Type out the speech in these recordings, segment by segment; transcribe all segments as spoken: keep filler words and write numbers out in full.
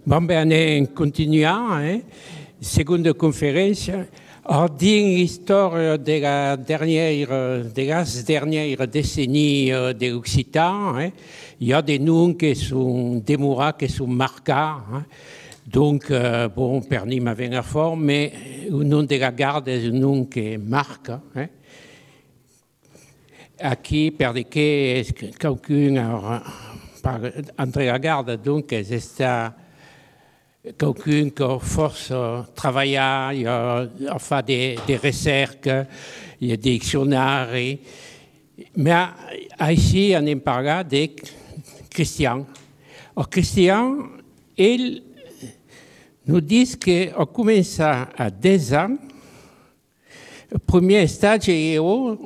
Bon, bene, continuiamo, eh? Seconda conferenza. Ordine l'histoire de la dernière, de las dernières décennies de l'Occitan. Eh? Il y a des noms qui sont démorats, qui sont marquants. Eh? Donc, euh, bon, Perny m'a venir fort, mais le nom de la garde est un nom qui marque. Eh? Aquí, perché quelqu'un entre la garde, donc, c'est quelqu'un qui force travailler, il a, a fait des, des recherches, il y a des dictionnaires. Mais ici, on parle de Christian. Alors, Christian, il nous dit qu'on commence à deux ans, le premier stage est en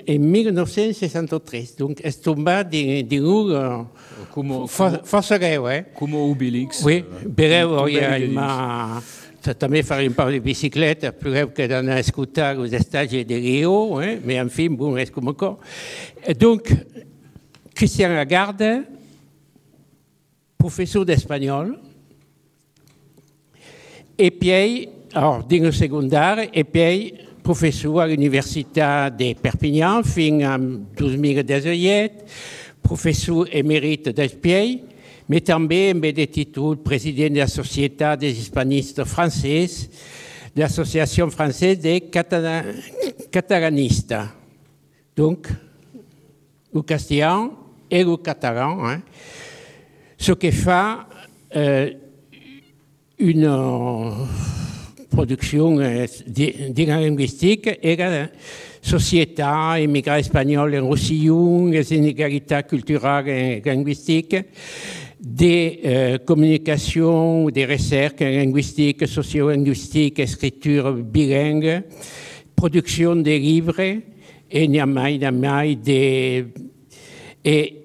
mille neuf cent soixante-treize. Donc, est tombé d'une force greu. Comme Obélix. Oui, breu, il m'a també fait un peu de biciclette, plus greu que d'anar a escoltar els stages de Rio, eh? Mais en fi, bon, és com això. Donc, Christian Lagarde, professeur d'espagnol, et puis, alors, dins le secondaire, et puis, professeur à l'Université de Perpignan fins en dos mil disset, professeur émérite d'Espiell, mais també en de títol président de la Société des hispanistes français, de l'Association française des catalanistes. Donc, le castillan et le catalan, hein, ce qui fait euh, une euh, production euh, linguistique et la société immigrée espagnole en Roussillon, les inégalités culturelles et linguistiques, des euh, communications, des recherches linguistiques, sociolinguistiques, écriture bilingue, production des livres, et niamai, niamai, des... Et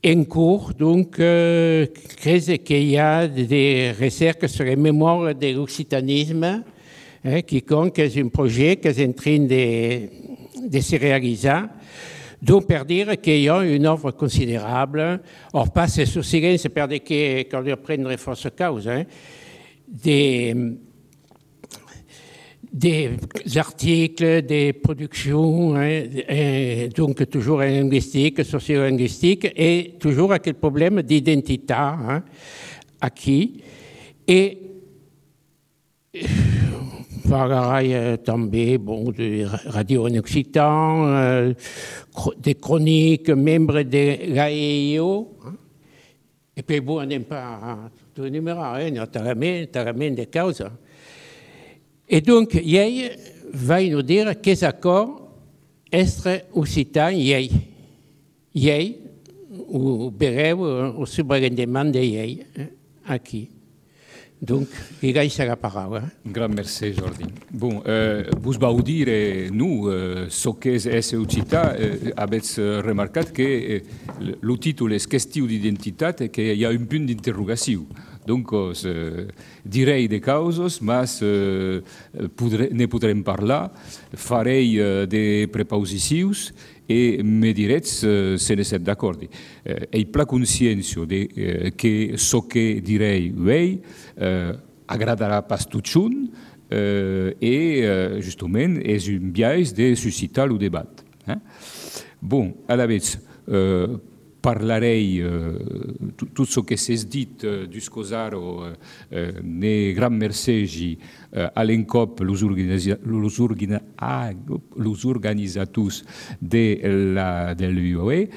en cours, donc, euh, qu'il y a des recherches sur les mémoires de l'occitanisme, hein, qui compte, c'est un projet qui est en train de, de se réaliser. Donc, pour dire qu'il y a une œuvre considérable, or pas c'est sous silence, c'est pour dire qu'on lui prendrait force cause, hein, des, des articles, des productions, hein, et donc toujours en linguistique, sociolinguistique, et toujours avec le problème d'identité, hein, acquis. Et parlerai també bon, de radio en occitan, euh, des chroniques, membres de l'A E I O. Hein. Et puis bon, on n'aime pas tout énumérer, hein, notamment des causes. Et donc, il va nous dire quels accords est occitan il y a, ou breu, au subrendement de il aquí. Donc, il y a la parole. Un grand merci, Jordi. Bon, euh, vous vau dire, nous, euh, ce qu'est S Occità, euh, avets remarqué que euh, le titre est Question d'identité et qu'il y a un point d'interrogation. Donc, euh, direi de causes, mais euh, podré, ne podrem parlar, farei euh, des prépositions et me direts euh, se ne set d'accord. Euh, e pla consciència de euh, que ce que direi ei euh, agradarà pas tutxun euh, et euh, justement és un biais de suscitar le debat. Hein? Bon, a la vez, euh, parlarei euh, tot ce que s'és dit euh, dus cosaro euh, euh, ne gran mercegi euh, a l'encop los, organiza los, organi ah, los organizators de la, de l'U O E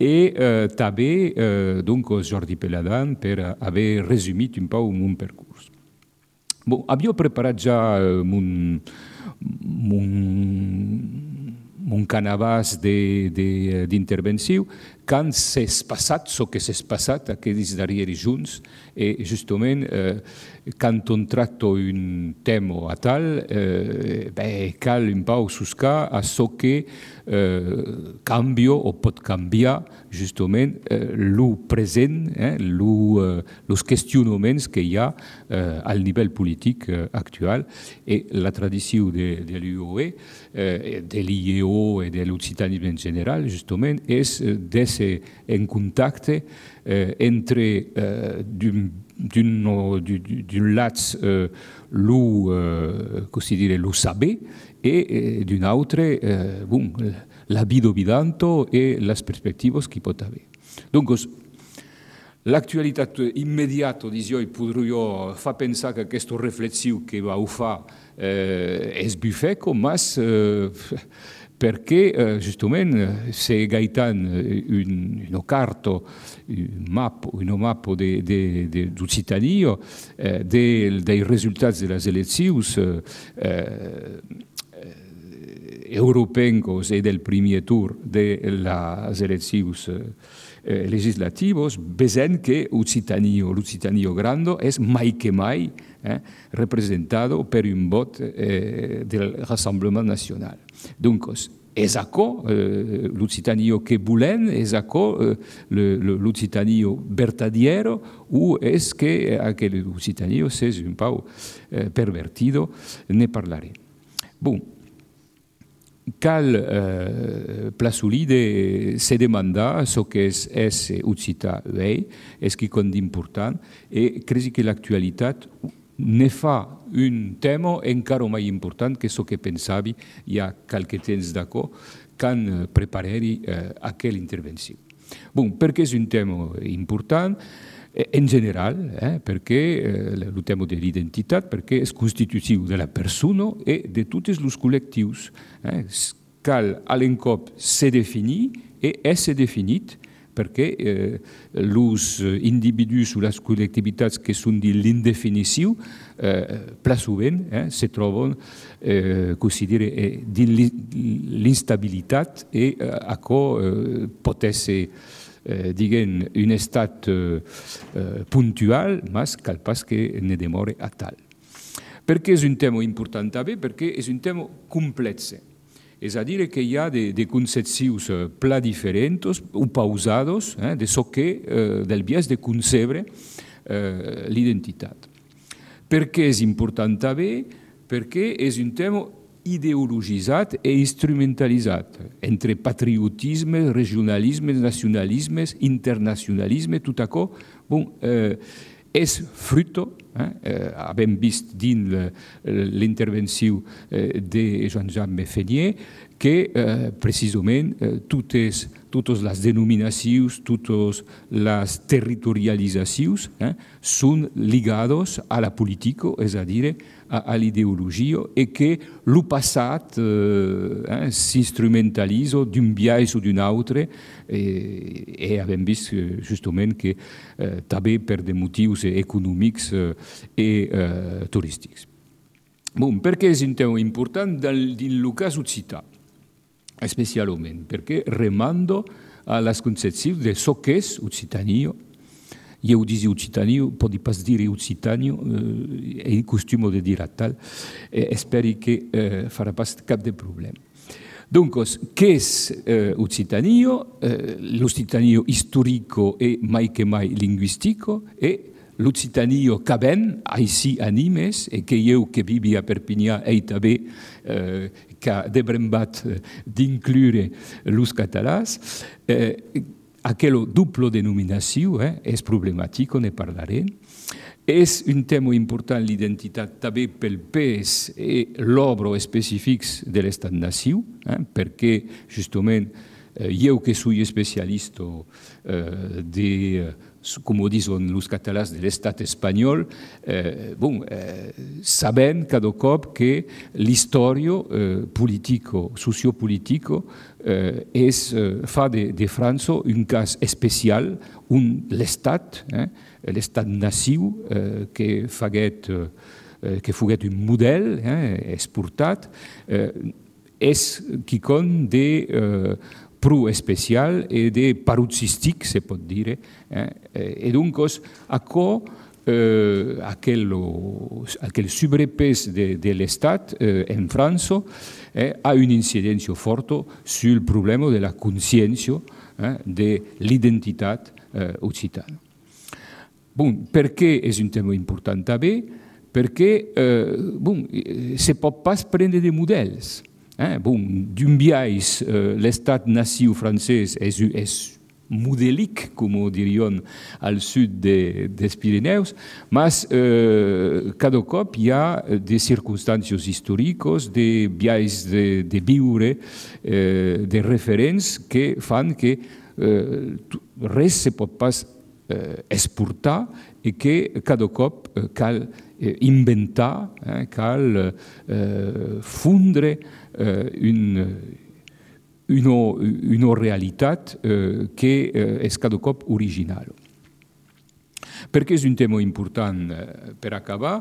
et euh, també euh, donc Jordi Peladan per haver resumit un peu mon percurs. Bon, havia preparat ja euh, mon, mon mon canavàs d'intervenció, quand s'és passat, ce que s'és passat aquests darrers junts, et justament, eh, quand on tracta un tema a tal, eh, ben, cal un peu suscar a ce que eh, canvia o pot canviar justament eh, lo present, eh, lo, eh, los qüestionaments que hi ha eh, al nivell polític eh, actual, et la tradició de, de l'U O E, eh, de l'I E O et de l'occitanisme en general, justament, és d'ésser en contacte eh, entre eh, d'un d'un lat eh, lo, eh, così dire, lo saber e eh, d'un altro eh, bon, la vida vidanto e le prospettive che può avere. Dunque, l'actualità immediata di oggi potrebbe far pensare che questa riflessione che va a fare eh, è sbuffeco, ma eh, perché eh, giustamente se Gaetan un, una carta, un mappo, una mappa dell'Occitania, eh, dei, dei risultati delle elezioni eh, europee e del primo tour delle elezioni eh, legislative, vediamo che l'Occitania, l'Occitania grande, è mai che mai eh, rappresentato per un voto eh, del Rassemblement National. Dunque, è ecco eh, l'Occitania che volem, è ecco eh, l'Occitania vertadiero, o è che anche l'Occitania sia un po' eh, pervertito, ne parleremo. Bon. Cal eh, plasulide se demanda so che è Occità lei, è che è importante e credo che l'attualità ne fa un tema encara mai importante che so che pensavi il y a qualche temps d'accordo quand prepareri eh, a quell'intervenzione. Bon, perché è un tema importante? In generale, eh, perché eh, il tema dell'identità, perché è costitutivo della persona e di tutti i collettivi. Eh, cal all'encop si definì e è definito perché eh, gli individui sulle collettività che sono di l'indefinizione eh, plasuvent eh, si trovano eh, così dire, eh, dell'instabilità e eh, a cui eh, potesse Eh, diguen un estat eh, puntual, ma cal pas che ne demore a tal. Perché è un tema importante? Perché è un tema complesso. És a dir, que hi ha de, de concepcions eh, pla diferents o pausados eh, de so que eh, del biais de concebre eh, l'identitat. Per què és important també? Perquè és un tema ideologitzat e instrumentalitzat entre patriotisme, regionalisme, nacionalisme, internacionalisme, tot això bon, eh, és fruto, eh, eh, abbiamo vist dins l'intervenció eh, de Jean-Jacques Feignet, que eh, precisament eh, totes, totes les denominacions, totes les territorialitzacions eh, són lligades a la política, és a dir, a, a l'ideologia, i que el passat eh, eh, s'instrumentalitza d'un biais o d'un altre, eh, i abbiamo vist justament que eh, també per de motius econòmics eh, i eh, turístics. Bon, perché è un tema importante nel cas occità? Specialmente perché rimando alla concezione di so che è Occitania. Io dico Occitania, poi pas dire Occitania, eh, è il costume di dire a tal, e spero che eh, farà pas cap de problema. Dunque, che è eh, Occitania? Eh, L'Occitania storico e mai che mai linguistico e l'Occitania che ben ici animes e che io che vivi a Perpignà e també eh, che debrembat d'inclure los catalans, eh, aquella doppia denominazione eh, è problematica, ne parleremo. È un tema importante l'identità també pel pes e l'obra specifics de l'estat-nació, eh, perché justament eh, io che sono specialista eh, di come dicono los catalans de l'estat espanyol, eh, bon, eh, sabem cada cop que l'història eh, politico, sociopolitico eh, és, eh, fa de, de França un cas especial, un l'estat, eh, l'estat-nació eh, que faguet, eh, que foguet un model eh, exportat, eh, és quicon de eh, pro especial e de paroxístic, se pot dire. Eh? E dunque, acco, eh, aquel, aquel sobrepès de, de l'Estat eh, en França eh, ha un'incidenza forte sul problema de la consciència eh, de l'identitat eh, occitana. Bon, perché è un tema importante també? Perché eh, bon, se pot pas prendre de models. Eh, bon, d'un biais, eh, l'estat-nació francès és, és modèlique, com ho diríem al sud de, dels Pirineus, mas eh, cada cop hi ha de circumstàncies històriques, de viatges de, de viure, eh, de referents que fan que eh, res se pot pas eh, exportar i que cada cop eh, cal eh, inventar, eh, cal eh, fundre eh, un Una, una realitat eh, que eh, és cada cop original. Perquè és un tema important eh, per acabar,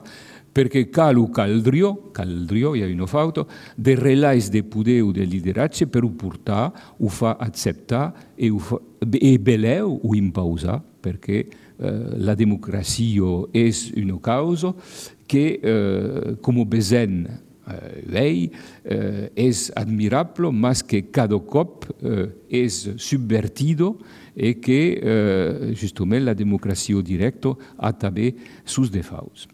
perquè cal o caldrió, caldrió, hi ha una falta, de relais de poder o de lideratge per ho portar, ho fa acceptar i, ho fa, i beleu ho impausar, perquè eh, la democràcia és una causa que, eh, com ho besem, Vei, eh, és admirable, mas que cada cop eh, és subvertido i que eh, justament la democràcia directa ha també sus defauts.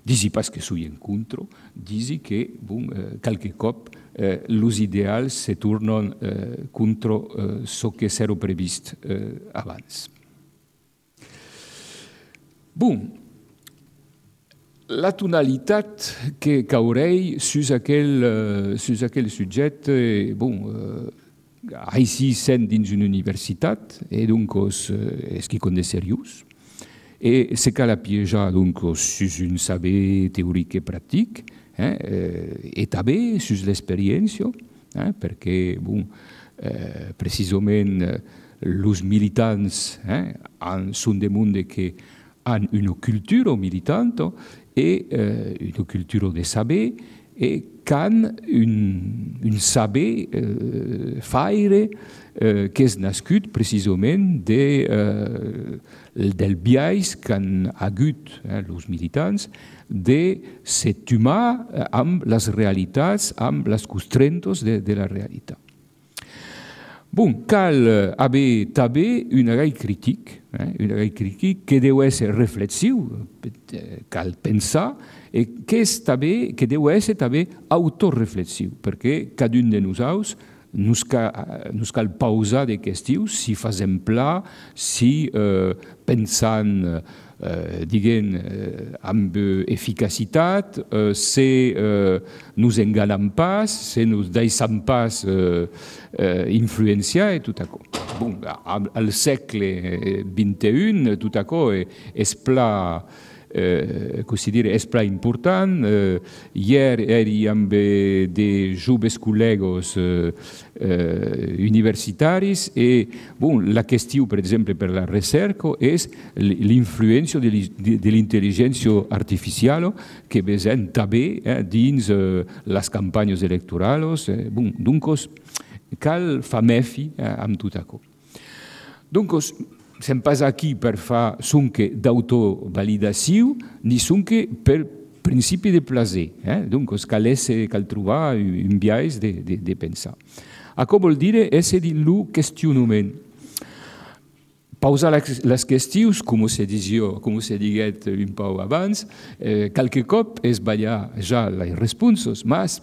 Disi pas que soy en contra, disi que bon, eh, qualque cop eh, els ideals se tornen eh, contra eh, ce que s'era previst eh, abans. Bon, la tonalitat que caurei sus aquell, uh, sus aquell subjecte, bon, uh, així sent dins una universitat, e donc uh, és quelqu'un de seriós, e se cal apiejar donc sus un saber teoric i pràctic, eh, e també sus l'experiència, eh, perquè, bon, eh, precisament, els militants eh, són de monde que han una cultura militante e eh, una cultura de saber e can un, un saber eh, faire eh, que és nascut precisament de, eh, del biais que han hagut eh, els militants de set humà amb les realitats, amb les constrentos de, de la realitat. Bon, cal haver també un gai crític, eh, un gai crític que deu ser reflexiu, cal pensar, i que, és també, que deu ser també autoreflexiu, perquè cada un de nosaltres nos cal, nos cal pausar de qüestions, si fem pla, si eh, pensant eh, diguem, eh, amb eficacitat, eh, si eh, nos enganem pas, si nos deixem pas eh, eh, influenciar i tot això. Bon, al segle vint i u, tot això és pla Eh, considero és pla important. Eh, hier eri amb de joves col·legues eh, eh, universitaris e bon, la qüestió, per exemple, per la recerca és l'influència de, de l'intel·ligència artificial que vesem també eh, dins eh, les campanyes electorals. Eh, bon, doncs, cal fer mefi eh, amb tot això. Doncs, sem pas aquí per fer sonque d'autovalidació, ni sonque per principi de plaer. Eh? Donc, cal, esse, cal trobar un biais de, de, de pensar. Això vol dir esse dins el qüestionament. Pausar les qüestions, com se digia, com se diguet un poc abans, eh, qualque cop és ballar ja les responses, mas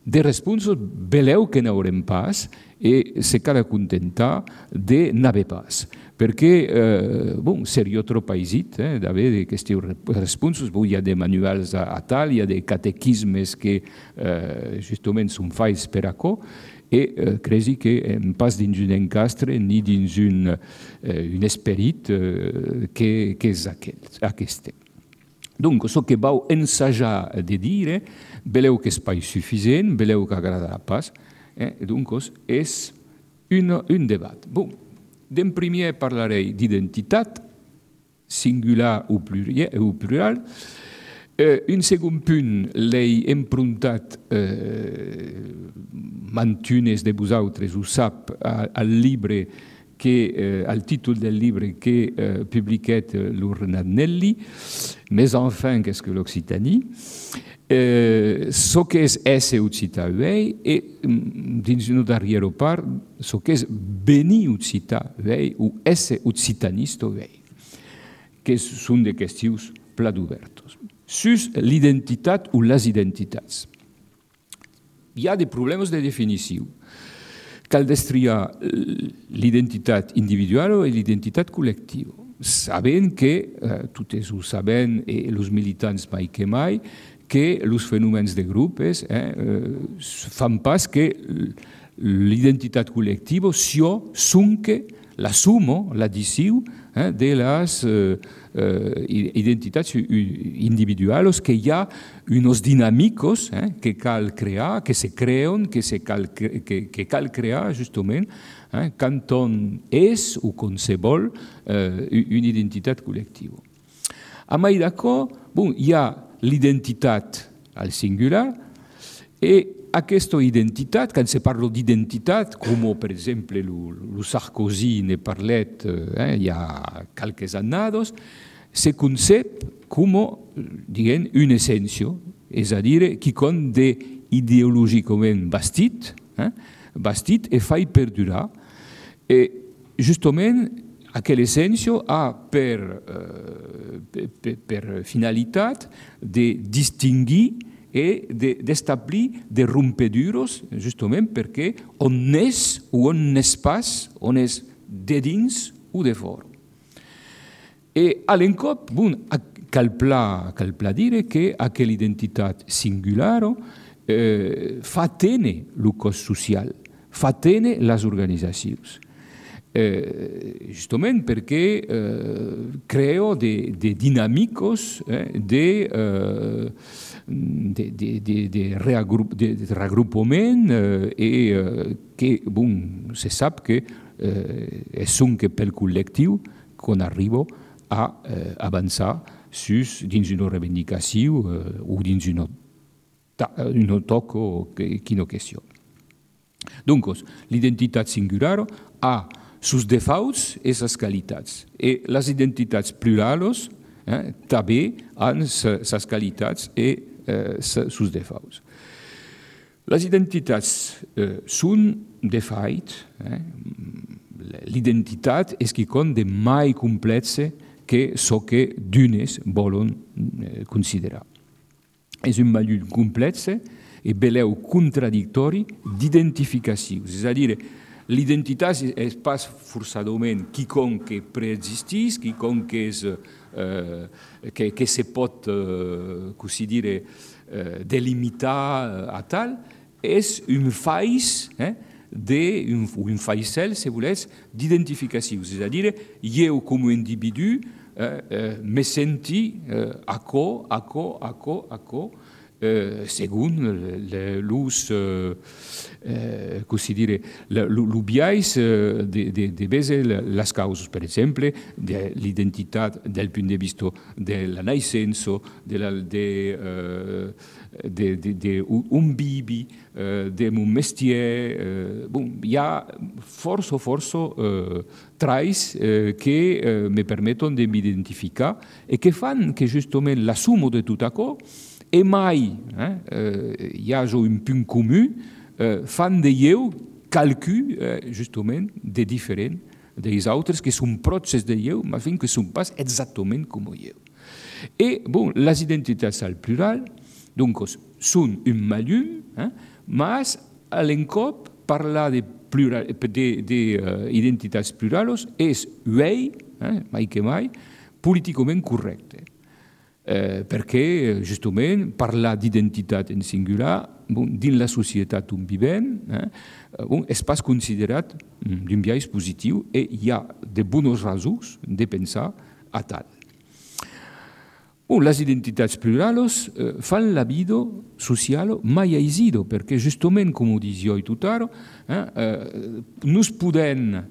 de responses veleu que n'haurem pas i se cal acontentar de n'haver pas. Perquè, eh, bon, seria trop aisit eh, d'haver d'aquestes responses. Bon, hi ha de manuals a, a tal, hi ha de catequismes que eh, justament són fets per això, i eh, cresi que hem pas dins un encastre ni dins un, eh, un esperit eh, que, que és aquest. Donc, ce que vau ensajar de dir, veleu que és pas suficient, veleu que agradarà pas, eh, donc és un, un debat. Bon, d'en primer parlaré d'identitat, singular o plural. Eh, un segon punt l'he empruntat, eh, mantunes de vosaltres ho sap, al llibre que, eh, al títol del llibre que eh, publiquet l'Urnat Nelli, Mes enfants, qu'est-ce que l'Occitanie? Eh, ce que és esse occitar vei e dins una darrera part ce que és venir occitar vei o esse occitanista vei, que són de qüestions plat obertes. Sus l'identitat o les identitats. Hi ha de problemes de definició. cal destriar l'identitat individual i l'identitat col·lectiva. Sabent que, eh, totes ho saben, i els militants mai que mai, que els fenòmens de grupos eh, eh, fan pas que l'identitat col·lectiva sio sunque la sumo, l'addició eh, de les eh, eh, identitats individuals, que hi ha uns dinàmicos eh, que cal crear, que se creen, que, se cal, que, que cal crear justament eh, quand on és o quan se vol eh, una identitat col·lectiva. A mai d'accord, bon, hi ha l'identitat al singular e aquesta identitat, quan se parla d'identitat, com per exemple el Sarkozy ne parlet eh, hi ha qualques annados, se concep com diguem, una essència, és a dir, quelcom d'ideològicament bastit, eh, bastit e fa perdurar. E justament aquella essència ha per, eh, per, per finalitat de distingir e d'establir des rompedures, justament perquè on és o on n'és pas, on és de dins o de fora. E a l'encop, bon, cal pla, cal pla dire que aquella identitat singular eh, fa tenir el cos social, fa tenir les organitzacions. Eh, justament perquè eh, creo de, de dinàmicos eh, de... Eh, de, de, de, de, reagrup, de, de reagrupament eh, i eh, que bon, se sap que eh, és un que pel col·lectiu quan arriba a eh, avançar sus, dins una reivindicació eh, o dins una, una toc o quina qüestió. Donc, l'identitat singular ha sus defauts i ses qualitats. I les identitats plurals eh, també han ses qualitats i eh, sus defauts. Les identitats eh, són defait. Eh? L'identitat és quelcom de mai complexe que so que d'unes volen eh, considerar. És un mallul complexe i beleu contradictori d'identificacions. És a dir, l'identitat és pas forçadament quelcom que preexistís, quelcom que, és, eh, que, que se pot eh, così dire, eh, delimitar a tal, és un faix, eh, de, un, un faixel, si voleu, d'identificacions. És a dir, jo com a individu eh, eh, me senti eh, acò, acò, acò, acò, Eh, según l'ús, eh, eh, così dire, l'ubiais eh, de, de, de vese les causes, per exemple, de l'identitat del punt de vista de la naixença, de, la, de, eh, de, de, de un bibi, eh, de mon mestier. Eh, bon, hi ha força, força eh, traits eh, que eh, me permeten de m'identificar e que fan que justament la suma de tot això e mai eh, hi ha un punt comú, eh, fan de jo calcul, eh, justament, de diferent dels altres, que són pròxims de jo, però que són pas exactament com jo. I, bon, les identitats al plural, donc, són un mallum, eh, mas a l'encop parlar de, plural, de, de uh, identitats plurals és uei, eh, mai que mai, políticament correcte. Eh, perquè, justament, parlar d'identitat en singular, bon, dins la societat on vivem, eh, bon, és pas considerat d'un biaix positiu i hi ha de bones raons de pensar a tal. Bon, les identitats plurals eh, fan la vida social mai aisida, perquè, justament, com ho dic jo i tot ara, eh, eh, nos podem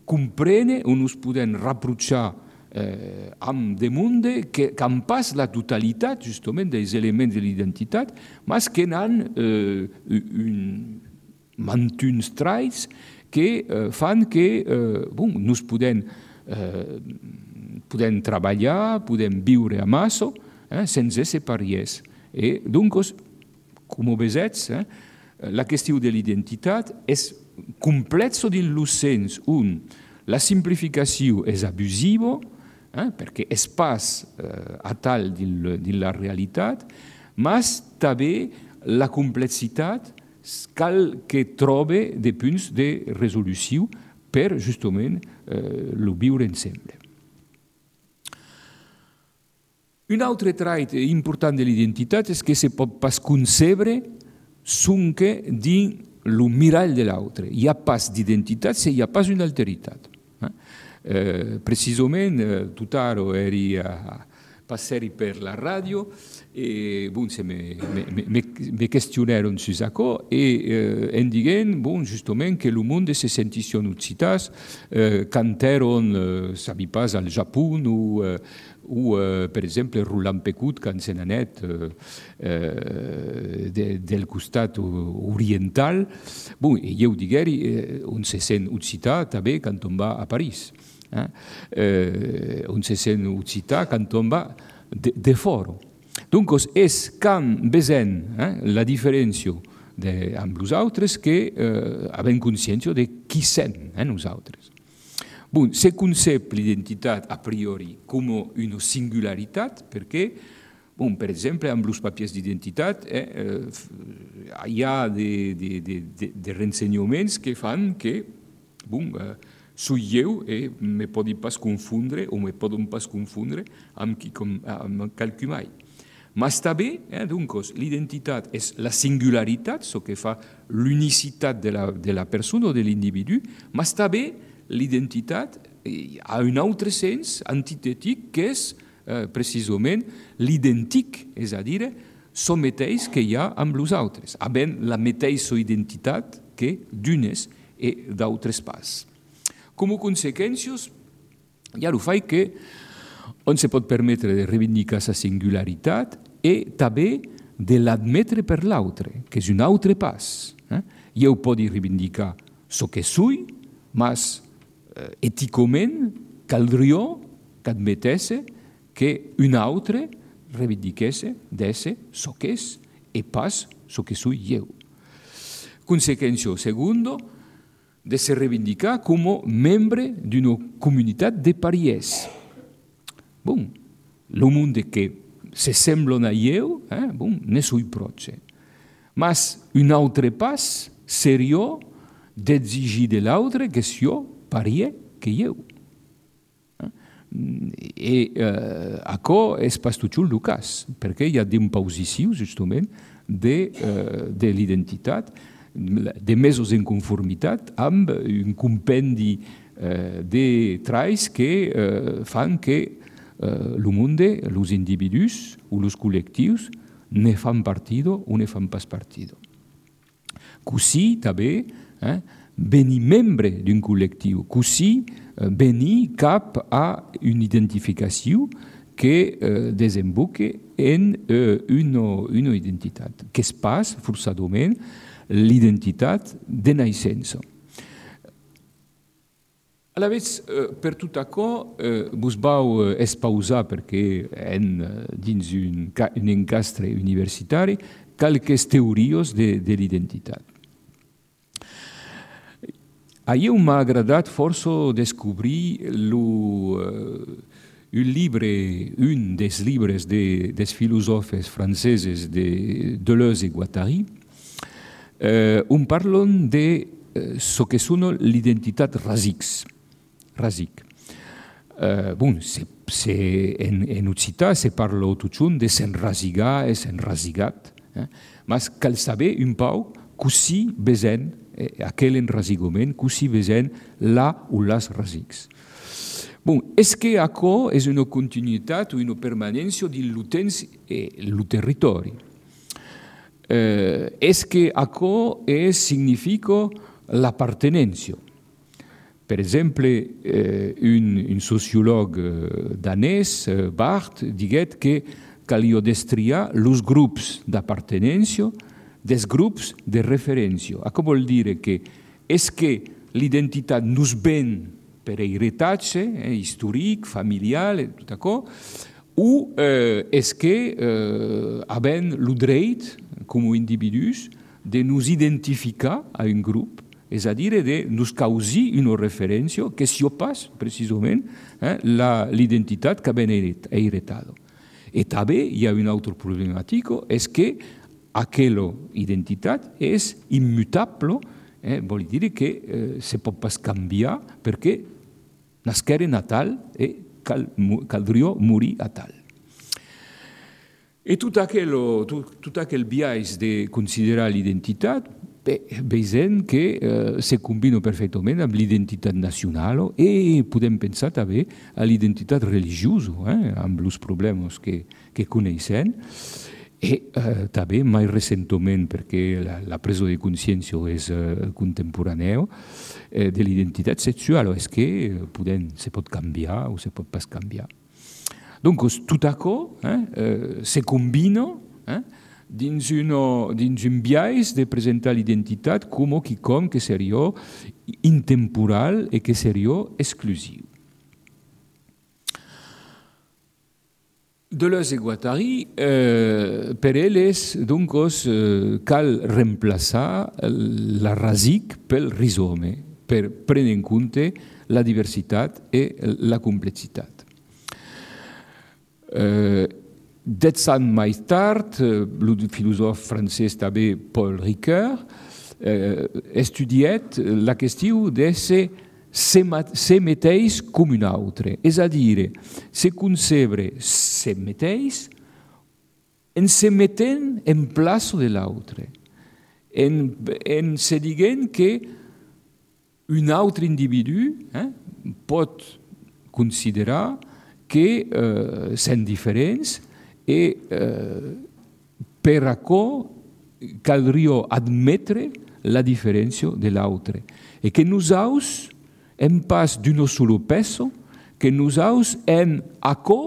comprendre o nos podem reprochar Eh, amb de monde que, que en pas la totalitat justament dels elements de l'identitat, mas que n'han eh, un, mantuns traits que eh, fan que eh, bon, nos podem, eh, podem treballar, podem viure a massa eh, sense separies. I doncs, com vesets, eh, la qüestió de l'identitat és complexa dins el sens on la simplificació és abusiva, Eh, perquè és pas eh, a tal de la realitat, mas també la complexitat cal que trobe des punts de resolució per, justament, eh, lo viure ensemble. Un altre trait important de l'identitat és que se pot pas concebre sonque dins el mirall de l'altre. Hi ha pas d'identitat si hi ha pas una alteritat. Eh, precisament, eh, tutaro eri a passeri per la ràdio e bon, se me, me, me, me questionaron su això e eh, em diguen, bon, justament, que el monde se sentission occitats, eh, canteron, eh, sabi pas, al Japon o, eh, o eh, per exemple, Roland Pecut, quand se n'anet eh, eh, de, del costat oriental. Bon, e jo digueri, eh, on se sent occitat també quan on va a París. Eh? Eh, on se sent occitat quand on va de, de fora. Donc, és quand vesem eh, la diferència de, amb nosaltres que eh, avem consciència de qui som eh, nosaltres. Bon, se concep l'identitat a priori com una singularitat perquè, bon, per exemple, amb els papiers d'identitat eh, eh, hi ha de, de, de, de, de rensenyaments que fan que, bon, eh, soy jo e me poden pas confondre o me poden pas confondre amb, qui, com, amb qualcú mai. Mas també, eh, doncs, l'identitat és la singularitat, el que fa l'unicitat de la, de la persona o de l'individu, mas també l'identitat ha un altre sens antitètic que és eh, precisament l'identic, és a dir, el mateix que hi ha amb els altres, havent la mateixa identitat que d'unes i d'altres pas. Com a conseqüències, hi ha el fet que on se pot permetre de reivindicar sa singularitat i també de l'admetre per l'altre, que és un altre pas. Eh? Jo puc reivindicar el que soy, mas eh, eticament caldria que admetesse que un altre reivindiquesse d'ésser el que és i pas el que soy jo. Conseqüència segunda, de se reivindicar com a membre d'una comunitat de pariès. Bon, el món que se semblen a jo, eh, bon, ne soy proche. Mas un altre pas seria d'exigir de l'altre que sia pariè que jo. I eh, això és pas tot el cas, perquè hi ha d'imposició, justament, de, eh, de l'identitat, de mesos en conformitat amb un compendi eh, de traits que eh, fan que eh, el món, els individus o els col·lectius ne fan partido o ne fan pas partido. Così també eh, venir membre d'un col·lectiu, così eh, venir cap a una identificació que eh, desemboque en eh, una, una identitat, que es pas forçadament l'identitat de naixença. A la vegada, per tot això, vos vau expausar, perquè en, dins un, un encastre universitari, qualques teories de, de l'identitat. A mi m'ha agradat força descobrir lo, un llibre, un dels llibres de, dels filòsofs francesos de Deleuze i Guattari, Eh, on parlen de eh, ce que són l'identitat rasics. Rasic. Eh, bon, se, se, en, en occità se parla tot junt de s'enrasigar i s'enrasigat, eh? Mas cal saber un pau così vesent eh, aquell enrasigament, così vesent la o les rasics. Bon, és que això és una continuïtat o una permanència dins el temps i el territori. Eh, és que això eh, significa l'appartenència. Per exemple, eh, un, un sociòleg eh, danès, eh, Barth, diguet que calia destriar els grups d'appartenència dels grups de referència. Això vol dir que és que l'identitat nos ven per heretatge, eh, històric, familiar, tot això, o eh, és que eh, havent el dret com a individus, de nos identificar a un grup, és a dir, de nos causar una referència que sia pas, precisament, eh, l'identitat que ben heretada. I també hi ha una altra problemàtica, és que aquella identitat és immutable, eh, vol dir que eh, se pot pas canviar perquè nasqueren a tal e cal, caldria morir a tal. E tot aquell, tot, tot aquell biaix de considerar l'identitat, veiem que eh, se combina perfectament amb l'identitat nacional e podem pensar també a l'identitat religiosa, eh, amb els problemes que, que coneixem. E eh, també mai recentment, perquè la, la presa de consciència és eh, contemporània, eh, de l'identitat sexual, és que podem, se pot canviar o se pot pas canviar. Donc, tot això eh, eh, se combina eh, dins, una, dins un biaix de presentar l'identitat com quelcom que seria intemporal e que seria exclusiu. Deleuze et Guattari, eh, per elles, donc, eh, cal remplaçar la rasic pel rizome, per prendre en compte la diversitat e la complexitat. Eh, dez anys més tard, el filòsof francès també Paul Ricoeur eh, estudiat la qüestió de ser se mateix com un altre, és a dir, se concebre se mateix en se metent en plaça de l'altre, en, en se dient que un altre individu eh, pot considerar que eh, són diferents i eh, per això caldria admetre la diferència de l'altre. E que nosaltres hem pas d'un solo peso, que nosaltres hem això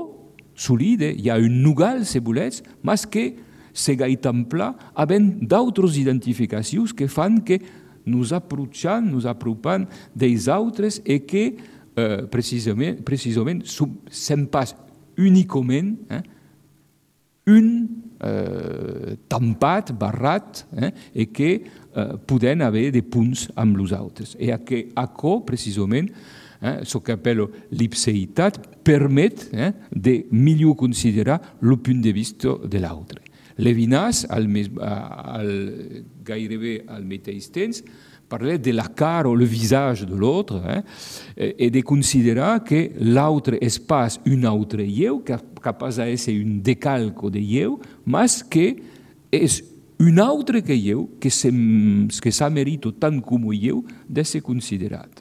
solide, hi ha un nugal, si volets, mas que se gaitempla havent d'altres identificacions que fan que nos approcham, nos apropam dels altres e que eh, precisament, precisament sem pas únicament eh, un eh, tampat, barrat, eh, e que eh, podem haver de punts amb els altres. E que això, precisament, eh, el que appella l'ipseïtat, permet eh, de millor considerar el punt de vista de l'altre. Levinas, al, al, gairebé al mateix temps, parlait de la cara o le visage de l'autre eh, et de considerar que l'autre és pas un altre eu, capaç d'ésser un decalco de eu, mas que és un altre que eu, que s'amerita tant com eu d'ésser considerat.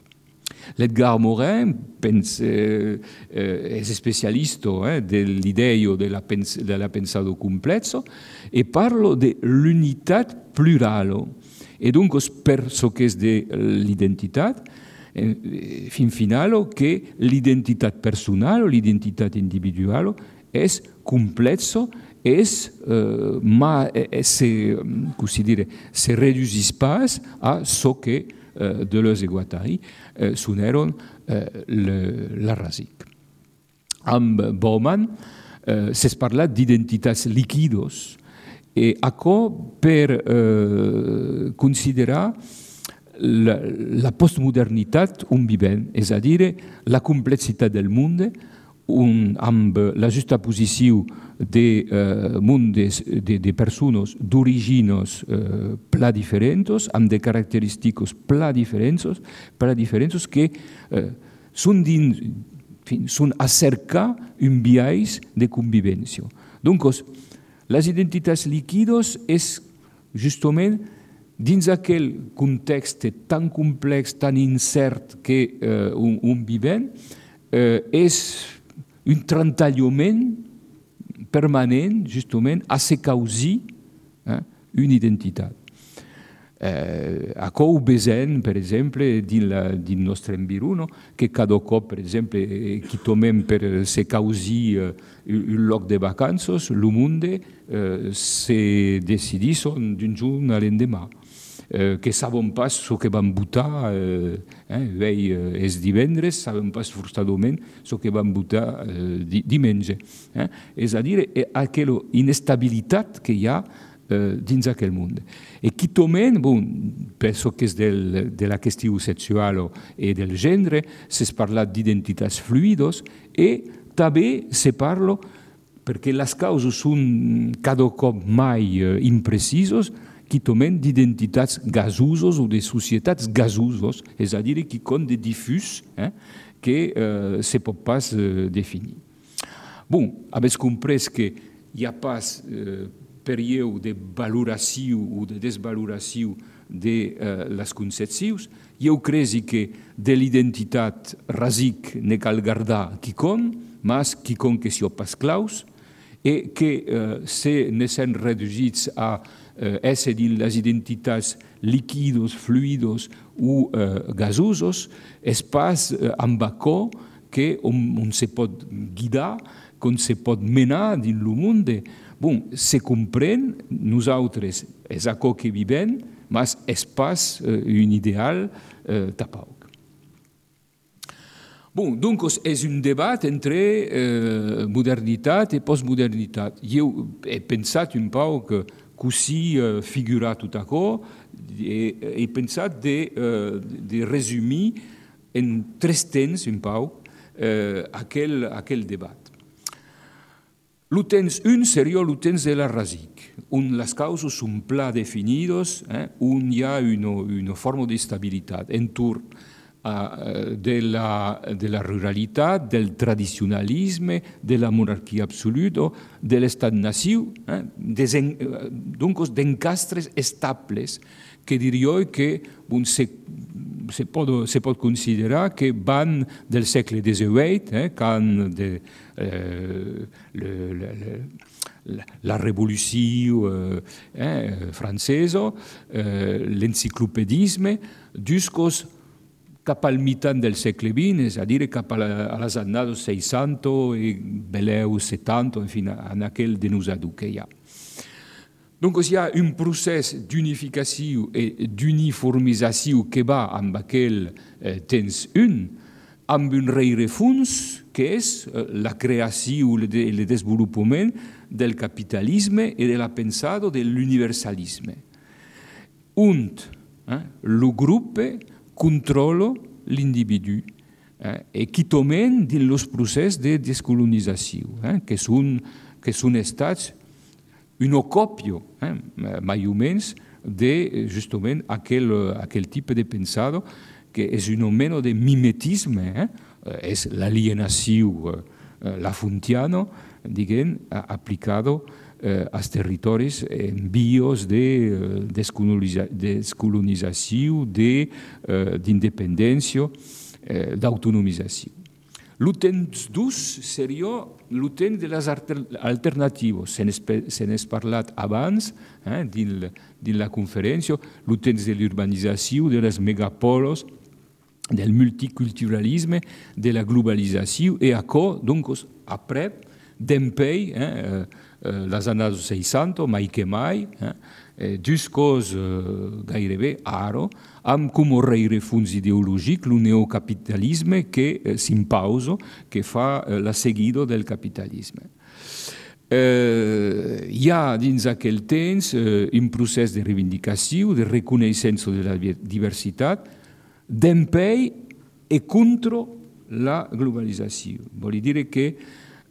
L'Edgar Morin pense, eh, és especialista eh, de l'idea de la, pens de la pensado complesso e parla de l'unitat plurale. E donc, per ce que és de l'identitat, eh, fin final, que l'identitat personal o l'identitat individual és complexa, és, eh, ma, se, com si dire, se reduís pas a ce que eh, Deleuze i Guattari eh, soneren eh, le, la rasic. Amb Bauman eh, s'és parlat d'identitats líquidos, e això per eh, considerar la, la postmodernitat on vivem, és a dir, la complexitat del món, un, amb la justaposició de eh, mundes, de, de persones d'origines eh, pla diferents, amb de característiques pla diferents, pla diferents que eh, són, dins, són a cercar un biaix de convivència. Donc, les identitats líquides és justament dins aquell context tan complex, tan incert que eh, on, on vivem, eh, és un trentallament permanent justament a se causar eh, una identitat. Eh, això ho veiem, per exemple, dins el nostre enviró, que cada cop, per exemple, que tomem per se causar un lloc de vacances, el món eh, se decidís d'un jour a l'endemà. Eh, que sabem pas el que vam votar, eh, eh, és divendres, sabem pas forçadament el que vam votar eh, diumenge. Eh? És a dir, aquella inestabilitat que hi ha eh, dins aquell món. E quitament, bon, penso que és del, de la qüestió sexual i del gènere, s'és parlat d'identitats fluides e també se parla perché le cause sono cada cop mai eh, imprecisos, qui tomen d'identitats gasosos o de societats gasosos, és a dir, qui con de diffus eh, que eh, se pot pas eh, definir. Bon, avets comprès que hi ha pas eh, període de valoració o de desvaloració de eh, les concepcions. Jo crec que de l'identitat rasic ne cal guardar quicon, mas quicon que sio pas claus, e que eh, se ne sen reduïts a eh, ésser dins les identitats liquidos, fluidos o eh, gasosos, és pas eh, amb aquò que on, on se pot guidar, qu'on se pot menar dins el món. Bon, se comprèn, nosaltres és aquò que vivem, mas és pas eh, un ideal eh, tapauc. Bon, doncs és un debat entre eh, modernitat i postmodernitat. Jo he pensat un poc que così eh, figurar tot això, he, he pensat de, eh, de resumir en tres temps un poc eh, aquel, aquel debat. Lo temps un seria lo temps de la rasic, on les causes són pla definides, eh, on hi ha una, una forma d'estabilitat entorn uh, de, la, de la ruralitat, del tradicionalisme, de la monarquia absoluta, de l'estat-nació, eh, doncs d'encastres estables que diria que bon, se, se, pot, se pot considerar que van del segle divuit, eh, quan de, eh, le, le, le, la revolució eh, francesa, eh, l'enciclopedisme, jusqu'os cap al mitant del segle vint, és a dir, cap a, la, a les anades seixanta i beleu setanta, en fi, en aquell denosador que hi ha. Donc, hi ha un procés d'unificació i d'uniformització que va amb aquell eh, temps un, amb un rerefons que és eh, la creació i el desenvolupament del capitalisme i de la pensada de l'universalisme. On eh, el grup controla l'individu eh, i qui tomen dins el procés de descolonització, eh, que, són, que són estats una còpia, eh, mai o menys, de justament aquell, aquell tipus de pensada que és una mena de mimetisme, eh, és l'alienació eh, lafontiana, diguem, aplicada eh, als territoris en vies de descolonització, d'independència, eh, d'autonomització. El temps dos seria el temps de les alternatives. Se n'és parlat abans, eh, dins, dins la conferència, el temps de l'urbanització, de les megapolos, del multiculturalisme, de la globalització, i això, doncs, après, d'empeny, eh, eh, les années seixanta, mai que mai, eh, jusqu'os eh, gairebé ara, amb com a rerefons ideològic el neocapitalisme que eh, s'impausa, que fa eh, la seguida del capitalisme. Eh, hi ha dins aquell temps eh, un procés de reivindicació, de reconeixença de la diversitat, d'empeny i contra la globalització. Vol dir que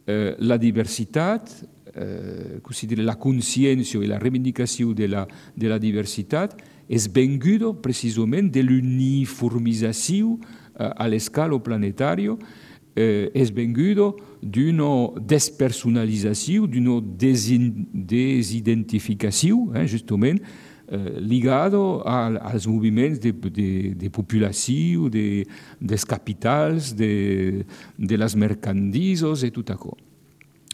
eh, la diversitat, eh, la consciència i la reivindicació de la, de la diversitat és venguda precisament de l'uniformització eh, a l'escala planetària, eh, és venguda d'una despersonalització, d'una desidentificació, eh, justament, eh, ligada als moviments de, de, de populació, de, dels capitals, de, de les mercandises i tot això.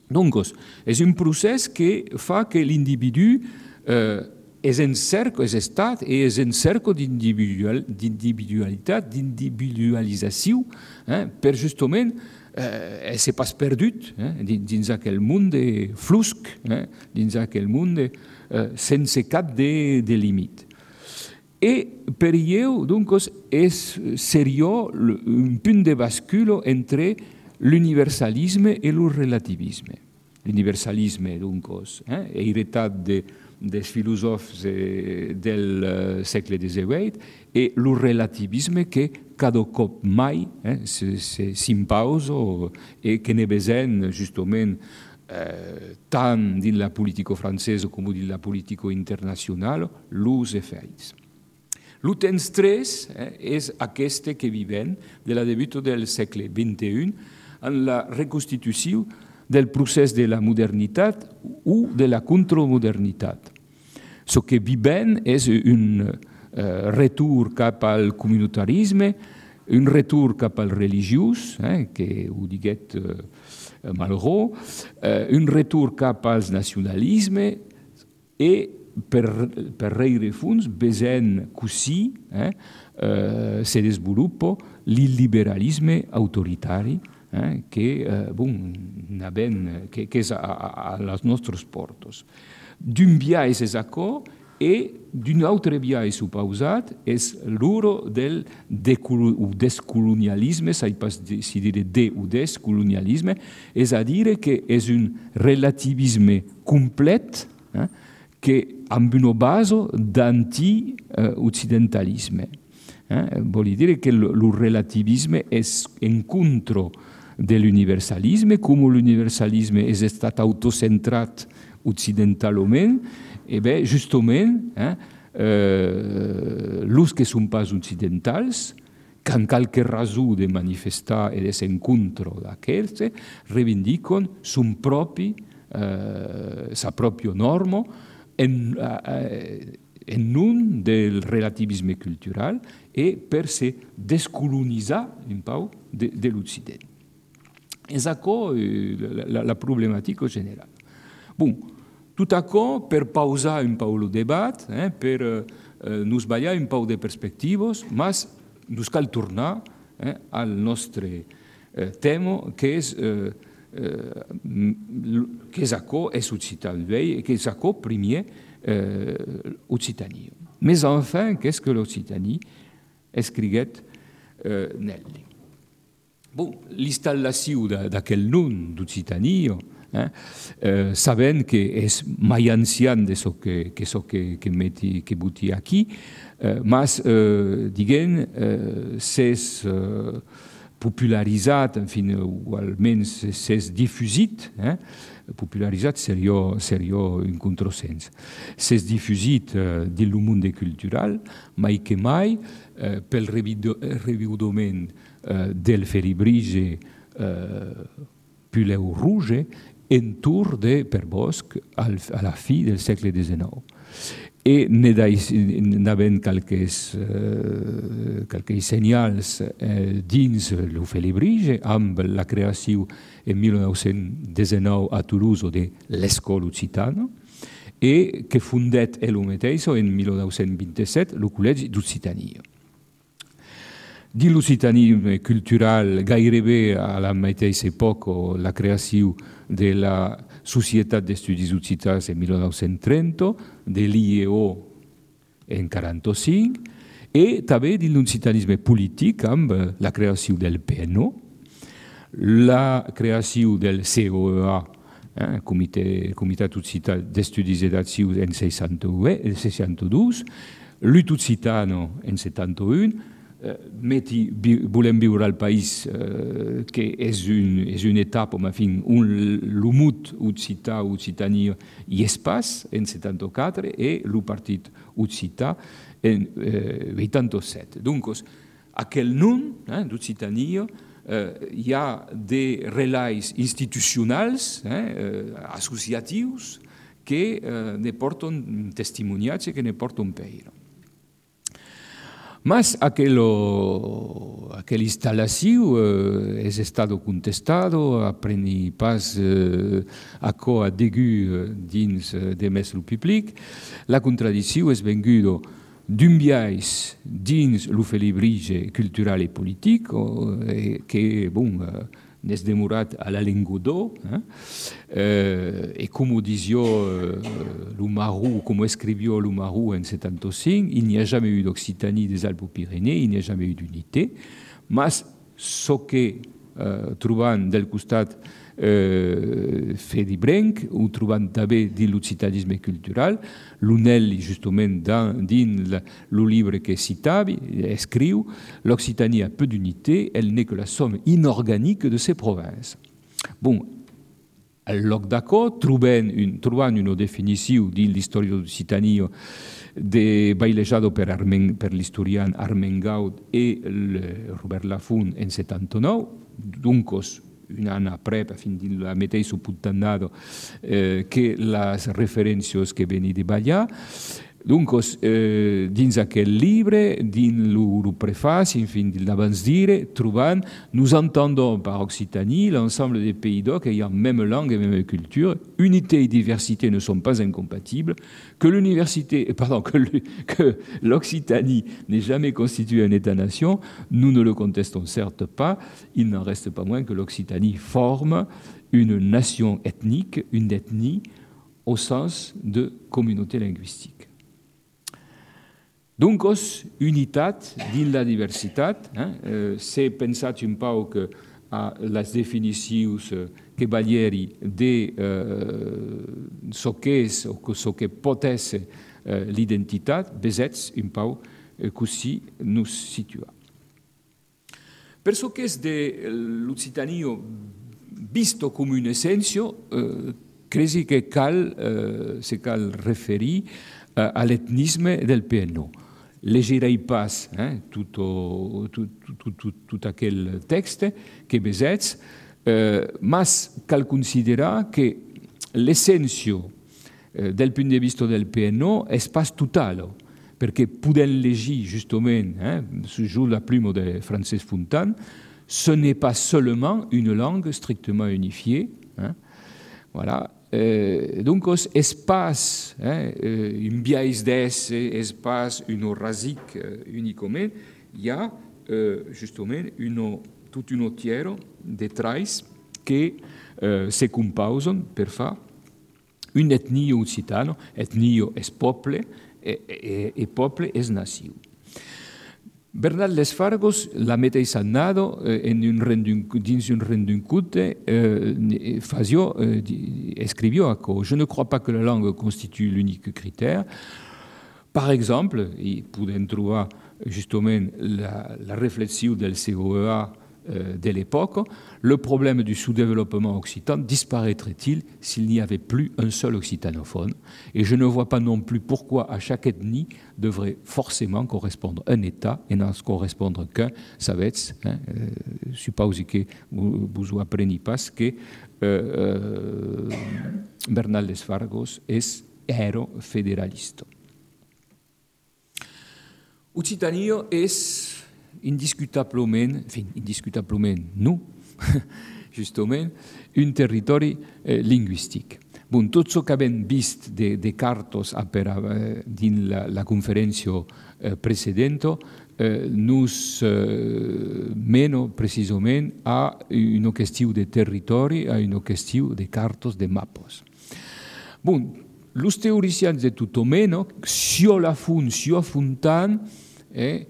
Donc, és un procés que fa que l'individu eh, és en cercle, és estat, i és en cercle d'individualitat, d'individualització, eh, per justament eh, ser pas perdut eh, dins aquell món de flusc, eh, dins aquell món de, eh, sense cap de, de límit. I per ell, doncs, és, seria un punt de bascule entre l'universalisme i el relativisme. L'universalisme, doncs, eh, heretat de, dels filòsofs eh, del eh, segle divuit, i el relativisme que cada cop mai eh, s'impausa i que ne besoin justament eh, tant dins la política francesa com dins la política internacional, els efectes. Lo temps tres eh, és aquest que vivem de la debut del segle vint i u en la reconstitució del procés de la modernitat o de la contramodernitat. Ce que vivem és un eh, retur cap al comunitarisme, un retur cap al religiós, eh, que ho diguet eh, Malraux, eh, un retur cap al nacionalisme i per, per rerefons besant così eh, eh, se desenvolupa l'illiberalisme autoritari eh, que, eh, bon, que, que és a, a, a les nostres portes. D'un biais és acord i d'un altre biais suposat és l'uro del descolonialisme, sai pas si dire de o descolonialisme, és a dir que és un relativisme complet eh, que amb una base d'anti-occidentalisme. Eh? Vuol dire que il relativisme és en contra de l'universalisme, com l'universalisme és estat autocentrat occidentalment, e bé, justament, eh, eh, els que són pas occidentals, que en qualque raó de manifestar i de ser en contra d'aquests, reivindiquen son propi, eh, sa pròpia norma, en, eh, en nom del relativisme cultural e per se descolonitzar un pau de, de l'Occident. És això eh, la, la problemàtica general. Bon, tot això per pausar un pau el debat, eh, per eh, nos ballar un pau de perspectives, mas nos cal tornar eh, al nostre eh, tema, que és eh, eh, que és això és occitan, que és això primer eh, Occitanie. Mais enfin, qu'est-ce que l'Occitanie escriguet eh, Nelly. Bon, l'installació d'aquell nom d'Occitanie, eh, eh, sabent que és mai ancian de so que, que, so que, que, meti, que buti aquí, eh, mas, eh, diguem, eh, s'és eh, popularitzat, en fi, o almenys s'és difusit, eh, popularitzat seria, seria un contrasens. S'és difusit eh, dins el món cultural, mai que mai, eh, pel reviudament eh, del Feribrige eh, Puleu Rouge, entorn de Per Bosch a la fi del segle dinou. E n'havent quelques, eh, quelques senyals eh, dins el Feribrige amb la creació en mil nou-cents dinou a Toulouse de l'Escola Occitana e que fundet el mateix en mil nou-cents vint-i-set el Col·legi d'Occitania. Dins l'occitanisme cultural, gairebé a la mateixa època, la creació de la Societat d'Estudis Occitans en mil nou-cents trenta, de l'I E O en quaranta-cinc, i també dins l'occitanisme polític amb la creació del P N O, la creació del C O E A, eh, Comitat Occitan d'Estudis i d'Accions en seixanta-dos, l'U T Occitano en setanta-un, Uh, meti, vi, volem viure al país uh, que és, un, és una etapa, en fi, on l'humut occità, occitania hi és pas en setanta-quatre i el partit occità en uh, vuitanta-set. Donc, aquell nom eh, d'occitania uh, hi ha des relais institucionals, eh, uh, associatius, que uh, ne porten testimoniatge, que ne porten peire. Mas aquella installació eh, és estat contestat, apreni pas eh, això a degu dins de més el públic. La contradicció és venguda d'un biais dins el Feribrige cultural i polític, eh, que, bon, eh, n'és demorat a la Lingodeau, eh? eh, et comme disait euh, Loumarou, comme écrivait Loumarou en soixante-quinze, il n'y a jamais eu d'Occitanie des Alpes-Pyrénées, il n'y a jamais eu d'unité, mais ce que euh, trouvant del costat euh, Feribrenc, ou trouvant també dins l'occitanisme cultural, l'Unelli, justement, dans, dins le livre que citava, escriu l'Occitanie a peu d'unité, elle n'est que la somme inorganique de ses provinces. Bon, al lloc d'acò, trobant, un, trobant una definició dins l'història d'Occitania de bailejado per, Armen, per l'historian Armengaud e el Robert Laffont en settantanou, duncos un an après, fin de la mateixa puntannada eh, que les referències que veni de ballar. Donc, eh, dins aquell llibre, dins el prefaci, enfin, de l'abans dire, trobant, nous entendons par Occitanie l'ensemble des pays d'Oc ayant même langue et même culture, unité et diversité ne sont pas incompatibles, que l'université, pardon, que, le, que l'Occitanie n'est jamais constituée un État-nation, nous ne le contestons certes pas, il n'en reste pas moins que l'Occitanie forme une nation ethnique, une ethnie, au sens de communauté linguistique. Donc, unitat dins la diversitat, eh? eh, se pensat un pau que a les definicions que Baglieri de eh, so que és o so que pot ser eh, l'identitat, besets un pau eh, così nos situa. Per so que és de l'Occitania visto com una essència, eh, cresi que cal, eh, se cal referir eh, a l'etnisme del P N O. Legirei pas eh, tot, tot, tot, tot, tot aquell text que besets, eh, mas cal considerar que l'essència eh, del punt de vista del P N O és pas total, perquè podem llegir justament, eh, sous la plume de Francesc Fontan, ce n'est pas seulement une langue strictement unifiée. Hein, voilà. Euh, donc, espace, hein, un biais d'esse, espace, une rasique euh, uniquement, il y a euh, justement une, toute une tière de traits qui euh, se composent pour faire une ethnie occitane. Ethnie est peuple et, et, et peuple est nation. Bernat Desfargos, la mateixa annada, eh, en un rendun, dins un renduncute, eh, fasio, eh, escrivió que je ne crois pas que la langue constitue l'unique critère. Par exemple, i podem trobar justament la, la réflexion del C O E A euh, de l'époque, le problème du sous-développement occitan disparaîtrait-il s'il n'y avait plus un seul occitanophone? Et je ne vois pas non plus pourquoi à chaque ethnie devrait forcément correspondre un État et n'en correspondre qu'un. Ça va être, hein, euh, je suppose que vous, vous apprenez pas que euh, euh, Bernal Desfargos est héros fédéraliste. Occitania est indiscutablement, enfin, indiscutablement, non, justement, un territori eh, linguistic. Bon, tot ce que hem vist de, de cartes eh, dins la, la conferència eh, precedent eh, nos eh, mena precisament a una qüestió de territori, a una qüestió de cartes, de mapes. Bon, els teoricians de tot mena, Sio Laffont, Sio Fontan, eh,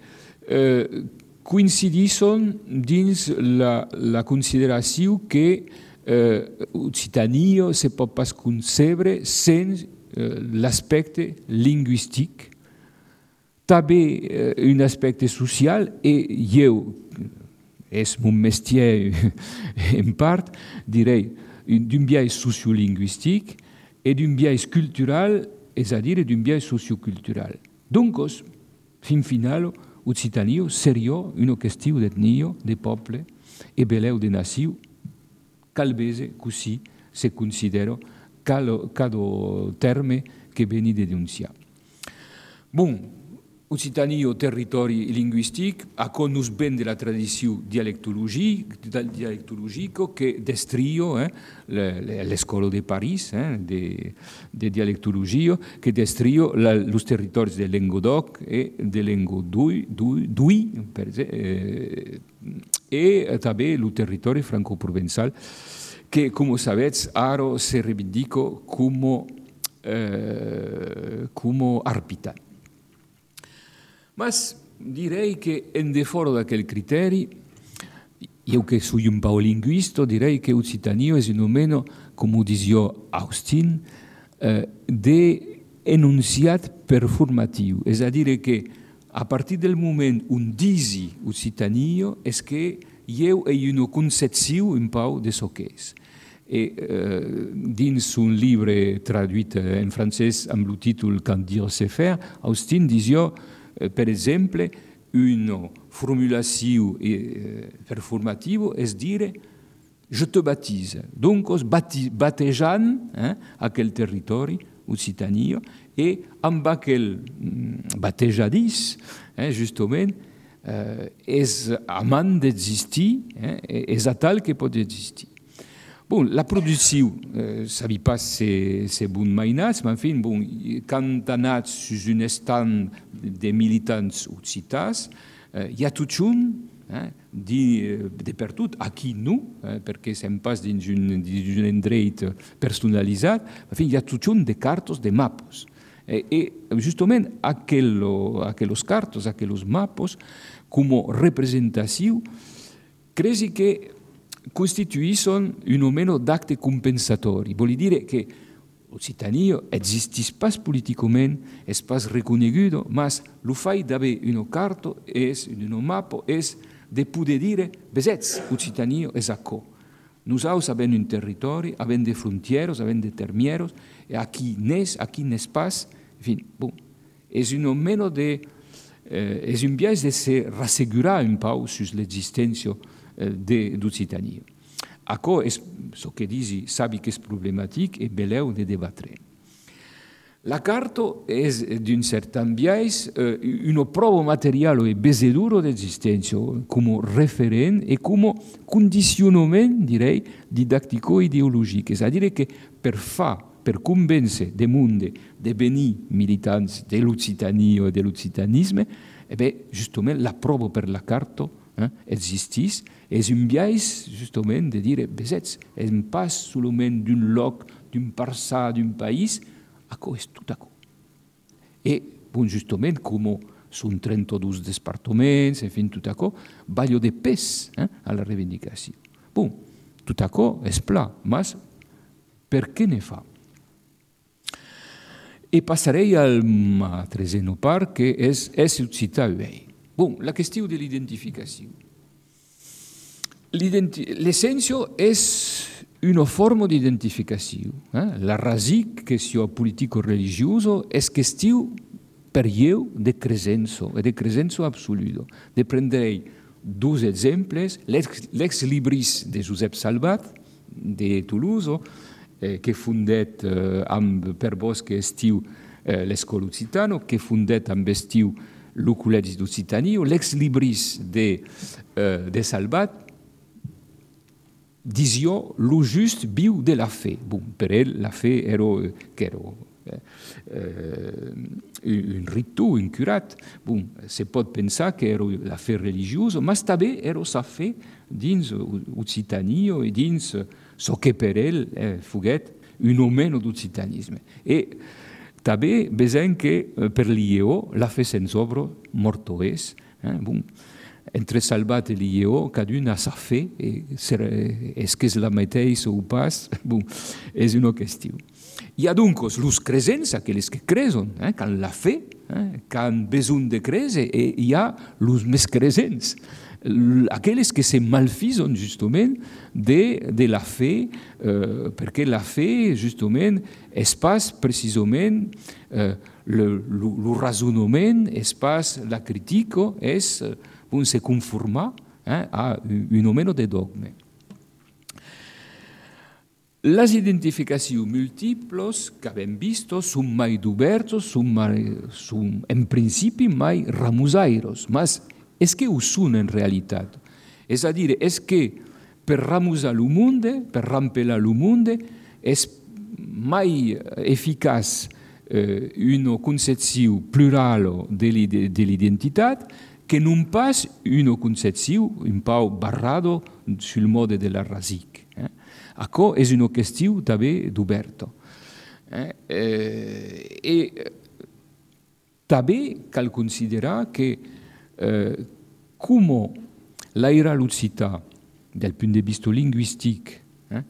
eh, coincidisson dins la, la consideració que eh, Occitania se pot pas concebre sense eh, l'aspecte lingüístic, també eh, un aspecte social, i jo, és mon métier en part, direi, d'un biais sociolingüístic et d'un biais cultural, és a dir, d'un biais sociocultural. Donc, fin final, Occitania seria una qüestió d'etnia, de poble e beleu de nació, cal bese così se considera cada, cada terme que veni de denunciar. Bon, Occitania, territori lingüístic, a nos ven de la tradició dialectologica que destria eh, l'escola de París eh, de, de dialectologia, que destria els territoris de Languedoc i de Languedoc, eh, e també el territori franco-provençal, que, com sabeu, ara se reivindica com, eh, com arpitant. Mas direi che en deforo d'aquell criteri, io che soy un po' linguista, direi che Occitania è un meno, come dizia Austin, eh, de enunciat performatiu. És a dir, que a partir del moment on disi Occitania és que io he una concepció un po' de so que és. E eh, dins un llibre traduït en francès amb el títol Quand dire c'est faire, Austin disió, eh, per exemple, una formulació eh, performativa és dir je te baptise. Donc, os bati, batejant eh, aquell territori, Occitania, e amb aquell mm, batejadís, eh, justament, eh, és amant d'existir, eh, és a tal que pot existir. Bon, la producció, eh, sabi pas se, se bon mainats, mais enfin, bon, quand anats sus un stand de militants occitans, eh, hi ha tot un, eh, de, de per tot, aquí no, eh, perquè sem pas dins un, dins un endret personalitzat, enfin, hi ha tot un de cartos, de mapos. E, e justament aquello, aquellos cartos, aquellos mapos, com representació, cresi que costituiscono un o meno d'acte compensatori. Vuol dire che l'Occitania existis pas politicament, es pas reconegudo, mas lo fai d'haver una carta, es una mappa, es de poder dire, besets, Occitania es acò. Nosaltres avem un territori, avem de frontieros, avem de termieros, e aquí n'és, aquí n'és pas, en fin, bon, és un o meno de, eh, és un biais de se rassegurar un pau sus l'existència d'Occitania. Acò és el que disi, sabi que és problemàtic e beleu de debatre. La carta és, d'un certain biais, una prova material e besedura d'existència, com referent e com condicionament, direi, didactico-ideològic. És a dir, que per fa, per convèncer de monde de venir militants de l'Occitania o de l'occitanisme, eh bé, justament, la prova per la carta eh, existís. És un biais, justament, de dir, besets, és un pas solament d'un lloc, d'un parçà, d'un país, acò és tot acò. E, bon, justament, com són trenta-dos departaments, en fi, tot acò, ballo de pes eh, a la reivindicació. Bon, tot acò és pla, mas per què ne fa? E passarei al treseno part, que és esse occitar uei. Bon, la qüestió de l'identificació. L'essència és una forma d'identificació. Eh? La rasic, qüestió politico-religiosa, és qüestió per io de cresenza, e de cresenza absoluta. De prendrei dos exemples, l'ex libris de Josep Salvat, de Toulouse, eh, que fundet eh, amb per vos que estiu eh, l'escola occitana, que fundet amb estiu el Col·legi d'Occitania, l'ex libris de, eh, de Salvat, disió lo just viu de la fe. Bon, per ell la fe era, que era eh, un ritu, un curat. Bon, se pot pensar que era la fe religiosa, ma també era sa fe dins Occitania e dins so que per ell eh, foguet un o meno d'occitanisme. E també besem que per l'I E O la fe sense obra morto és. Eh? Bon, entre Salvat e l'I E O, cadun a sa fe, és que és la mateixa o pas, bon, és una qüestió. Hi ha donc los cresents, aquells que cresen, eh, que han la fe, eh, que han besoin de creure, e hi ha los més cresents, aquells que se malfisen justament de, de la fe, eh, perquè la fe justament és pas precisament eh, le, le, le raisonnement, és pas la crítica, és on se conforma eh, a un o meno de dogme. Les identificacions múltiples que abbiamo visto sono mai diverse, sono, sono in principi mai ramusairos, ma è che ho sono in realtà. È a dire, è che per ramusare il mondo, per rampelare il mondo, è mai efficace eh, una concezione plurale dell'identità che non pas una concezione un po' barrata sul modo della rasic. Eh? Acò és una qüestió també d'oberta. Eh? Eh, e també cal considerar que eh, com l'aire l'occità, del punt de vista linguistic, eh,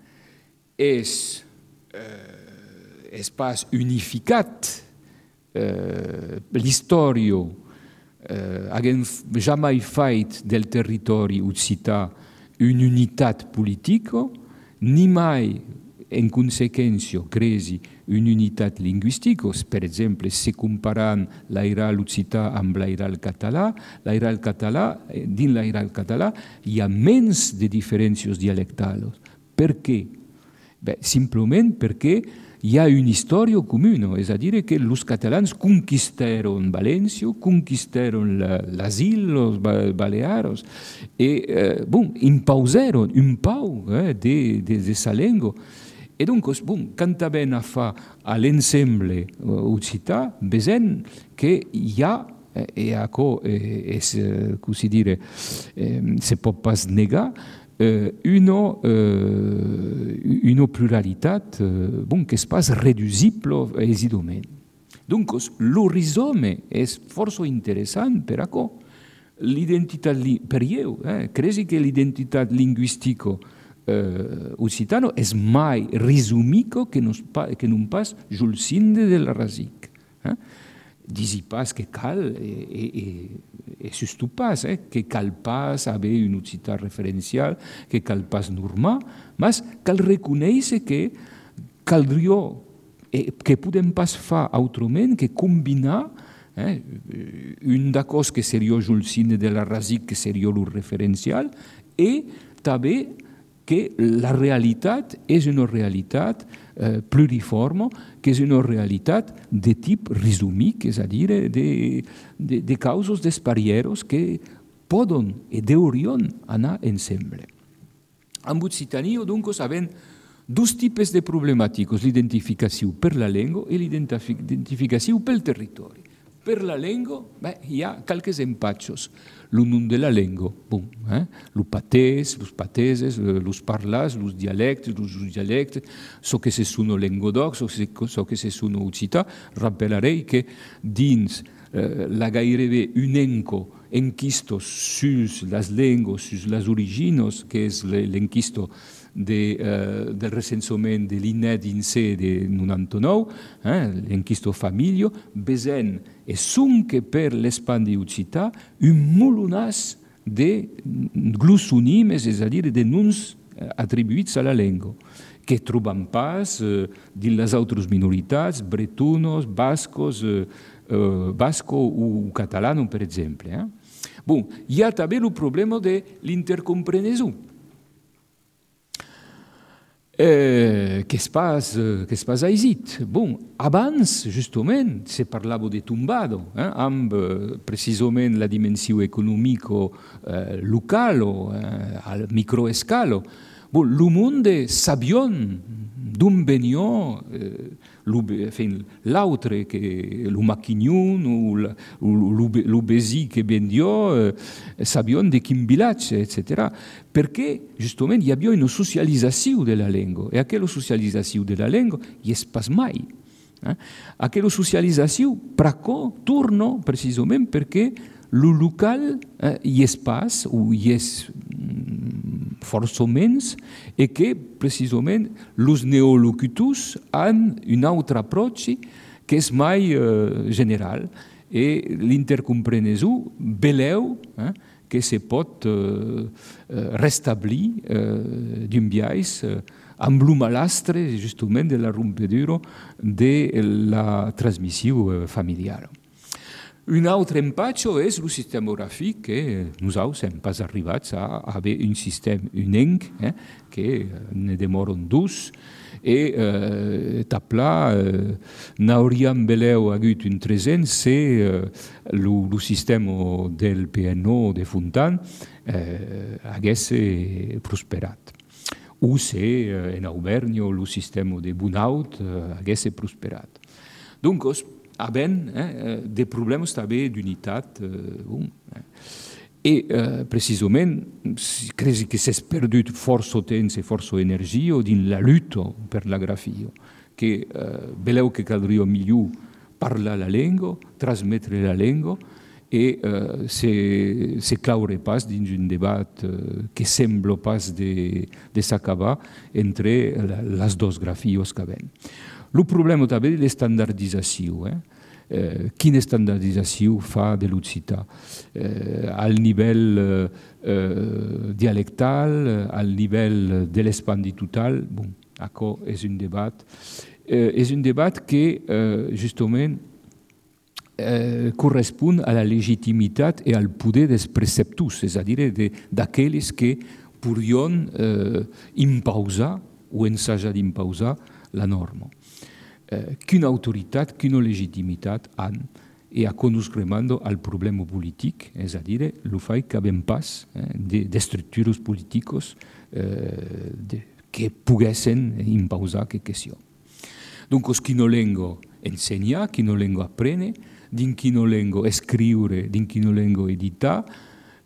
és, eh, és pas unificat eh, l'història Uh, haguem jamais fet del territori occità un'unitat politica, ni mai en consequència cresi una unitat lingüística, per exemple, si comparant l'airal occità amb l'airal català, l'airal català, dins l'airal català hi ha menys de diferències dialectals. Per què? Bé, simplement perquè hi ha una història comuna, és a dir, que els catalans conquistaron València, conquistaron l'asil, els Balears, i eh, bon, imposaron un pau eh, de, de, de sa llengua. E donc, bon, quand ben a fa a l'ensemble occità, veiem que hi ha, e això és, com si dire, se pot pas negar, una, una pluralitat bon, que és pas reducible aisidament. Donc, l'horizome és força interessant per això. L'identitat, per io, eh, cresi que l'identitat lingüística Uh, occitano és mai resumico que non, que non pas julcinde de la rasic. Eh? Disi pas que cal, e, e, e sustu pas, eh? que cal pas haver un occità referencial, que cal pas normar, mas cal reconèixer que caldria, eh, que podem pas fa autrament que combinar eh? un d'acòs que seria julcinde de la rasic, que seria el referencial, e també que la realitat és una realitat eh, pluriforme, que és una realitat de tipus resumit, és a dir, de, de, de causes desparieros que poden i deurien anar ensemble. En Occitania, doncs, havent dos tipus de problemàtiques, l'identificació per la llengua i l'identificació pel territori. Per la llengua beh, hi ha qualques empatxos. El nom de la llengua, bon, eh? los patès, los pateses, los parlars, los dialectes, los dialectes, so que se sono lengodoc, so, so que se sono occità. Rappellarei que dins eh, la gairebé un enco enquisto sus les llengües, sus les origines, que és l'enquisto de, uh, del recensament de l'I N E D-INSEE de noranta-nou, eh, l'enquisto família, vesent e sonque per l'Espandi occità un molonàs de glossonimes, és a dir, de noms atribuïts a la llengua, que trobam pas eh, dins les altres minoritats, bretonos, bascos, eh, eh, basco o catalano, per exemple. Eh? Bon, hi ha també el problema de l'intercomprenesió, eh, que és pas, que és pas aisit. Bon, abans, justament, se parlava de tombado, eh, amb eh, precisament la dimensió econòmica eh, local o eh, al microescala. Bon, el monde sabion d'on venia eh, l'altre, el maquignon o l'obesi que vendia, eh, sabion de quin vilatge, et cetera. Perquè, justament, hi havia una socialització de la llengua. I aquella socialització de la llengua hi és pas mai. Eh? Aquella socialització, per què torna precisament perquè el local eh, hi és pas, o hi és mm, força menys, i que precisament els neolocutors han un altre approach que és mai eh, general, i l'intercomprenesió veleu eh, que se pot eh, restablir eh, d'un biais eh, amb el malastre, justament, de la rompedura de la transmissió familiar. Un altre empatxo és el sistema gràfic, que nosaltres hem pas arribats a haver un sistema unenc, eh, que ne demoren dos, i eh, tapla eh, n'hauríem veleu hagut un tresent si el eh, sistema del P N O de Fontan eh, hagués prosperat. O si eh, en Aubernio el sistema de Bunaut eh, hagués prosperat. Donc, havent eh, de problemes també d'unitat. Eh, bon, eh. I eh, precisament, crec que s'ha perdut força temps i força energia dins la lluita per la grafia, que eh, veleu que caldria millor parlar la llengua, transmetre la llengua, i eh, se, se claure pas dins un debat eh, que sembla pas de, de s'acabar entre la, les dues grafies que ven. El problema també de l'estandardització. Eh? eh, quina estandardització fa de l'ocità eh, al nivell eh, eh, dialectal, al nivell de l'espandi total. Bon, això és un debat. Eh, és un debat que, eh, justament, eh, correspon a la legitimitat i al poder dels preceptors, és a dir, d'aquells que podrien eh, imposar o ensajar d'imposar la norma. Eh, quina autoritat, quina legitimitat han e a conoscremando al problema politic, és a dir, el fet que havem pas eh, de, de estructures políticos eh, de, que poguessin imposar aquesta qüestió. Donc, qui no lengo ensenyar, qui no lengo aprendre, din qui no lengo escriure, din qui no lengo editar,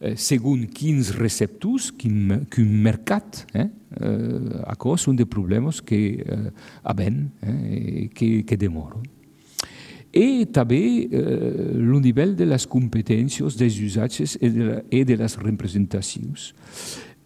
eh, segons quins receptors, quin, quin mercat, eh, eh, això són de problemes que eh, havem, eh, que, que demoren. I també eh, el nivell de les competències, dels usatges i de, la, i de les representacions.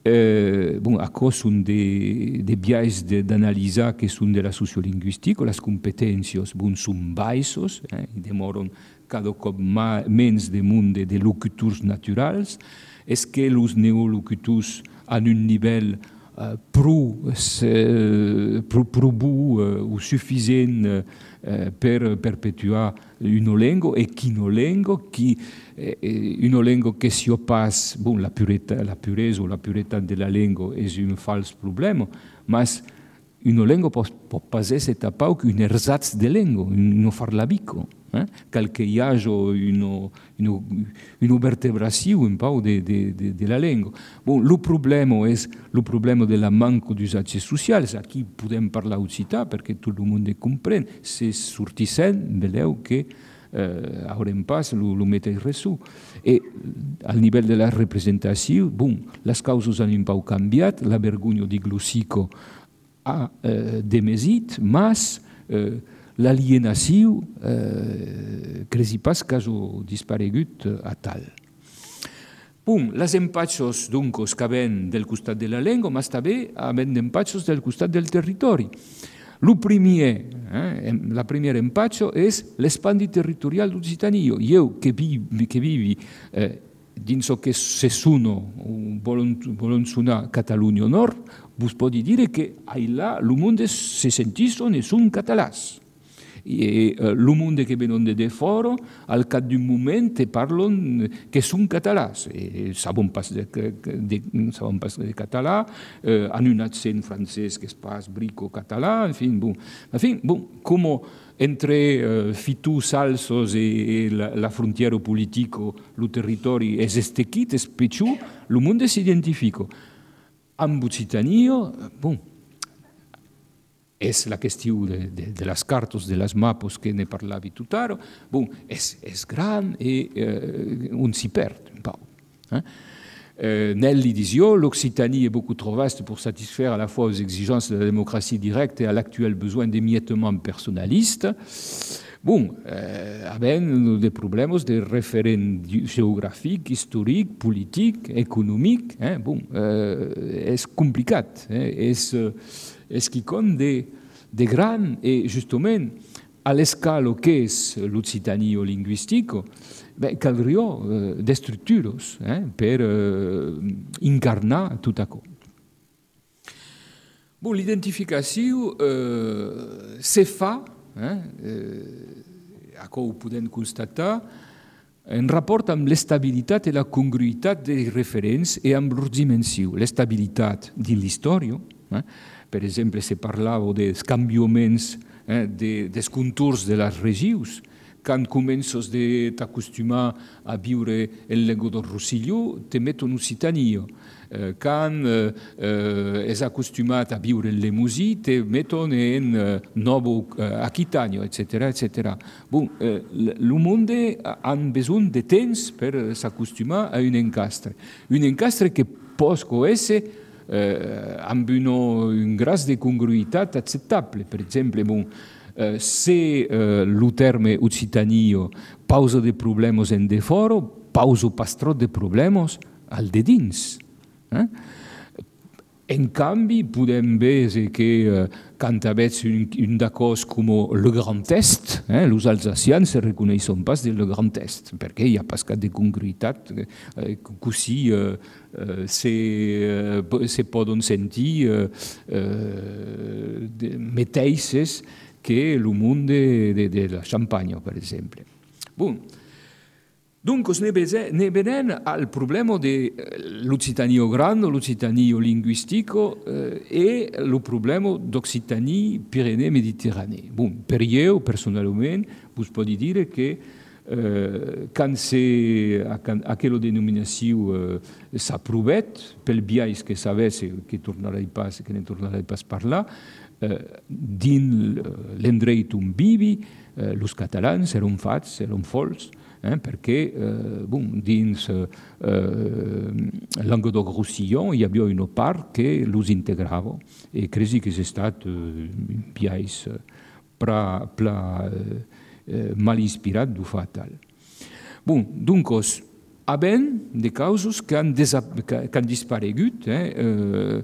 Eh, bon, això són de, de biais d'analitzar que són de la sociolingüística, les competències bon, són baixes, eh, i demoren cada cop menys de munt de, de locutors naturals. És que els neolocutors han un nivell eh, prou, eh, prou, prou bo eh, o suficient eh, per perpetuar una llengua e quina llengua, qui, eh, una llengua che si pas, bon, la, purezza, la puresa o la puretat de la llengua és un fals problema, ma una llengua pot, pot pas essere tapau un ersatz de llengua, un farlabico, eh? Cal que hi hagi una, una, una vertebració un pau de, de, de, de la llengua. Bon, el problema és el problema de la manca d'usatges socials. Aquí podem parlar occità perquè tot el món comprèn. Si sortissem, veleu que eh, haurem pas el mateix resú. I al nivell de la representació, bon, les causes han un pau canviat, la vergonya di glossico ha eh, demesit, mas eh, l'alienació eh, cresi pas que ha disparegut a tal. Bon, les empatxos, doncs, que ven del costat de la llengua, mas també ven empatxos del costat del territori. Lo primer, eh, la primera empatxo és l'espandi territorial d'Occitania. Jo, que vivi, que vivi eh, dins el que se suno, volen sonar Catalunya Nord, vos pot dir que allà el món se sentisson e són catalans. I el món que venen de fora, al cap d'un moment, te parlen que són catalans. Sabem pas de, de, sabem pas de català, eh, han un accent francès que és pas brico-català, en fi, bon. En fi, bon, com entre eh, fitus salsos e la, la frontiera politica, el territori és estequit, és petjú, el món s'identifica. Amb Occitania, bon, és la qüestió de, de, de les cartes, de les mapes que ne parlavi tot ara, bon, és, és gran i eh, on s'hi perd un pau. Eh? Euh, Nell'edition, l'Occitanie est beaucoup trop vaste pour satisfaire à la fois aux exigences de la démocratie directe et à l'actuel besoin d'émiettement personnaliste. Bon, euh, haben des problèmes de référents géographiques, historiques, politiques, économiques. Hein, bon, euh, és complicat. Eh, és, és quelcom de, de gran et justement a l'escala que és l'Occitanie lingüistica, ben, caldria eh, de structures eh, per eh, incarnar tot això. Bon, l'identificació eh, se fa, eh, eh, això ho podem constatar, en rapport amb l'estabilitat i la congruïtat dels referents i amb leur dimensió. L'estabilitat dins l'història, eh, per exemple, se parlava dels canviaments eh, de, dels contours de les regions. Quan comences a t'acostumar a viure en llengua del Rosselló, te met en Occitania. Quan eh, eh, és acostumat a viure en Lemosí, te meten en eh, Novo eh, Aquitania, et cetera, et cetera. Bon, eh, el món ha besoin de temps per s'acostumar a un encastre. Un encastre que pot ésser eh, amb una, un grau de congruïtat acceptable. Per exemple, bon, Uh, se uh, el terme Occitania pausa de problemes en de fora, pausa pas trop de problemes al de dins. Eh? En canvi, podem veure que eh, quan avets un, un cos com le Grand Est, eh, els alsacians se reconeixen pas del Grand Est, perquè hi ha pas cap de congruïtat, eh, così eh, eh, se, eh, se poden sentir eh, eh, mateixes que el món de, de, de la Champagne, per exemple. Bon. Donc, ne venen al problema de l'Occitanio grande, l'Occitanio linguistico eh, e il problema d'Occitanie Pirenee-Mediterranee. Bon, per io, personalment, vos pot dir que eh, quan aquella denominació eh, s'ha provat, pel biais que sabés que, tornaré pas, que ne tornaré pas a parlar, eh, dins l'endret on vivi, eh, els catalans eren fats, eren folts, Eh, perquè eh, bon, dins eh, Languedoc-Roussillon hi havia una part que els integrava i crec que és estat eh, un biais pla, pla, eh, mal inspirat du fatal. Bon, doncs, havent de causes que han, que han disparegut, eh, eh,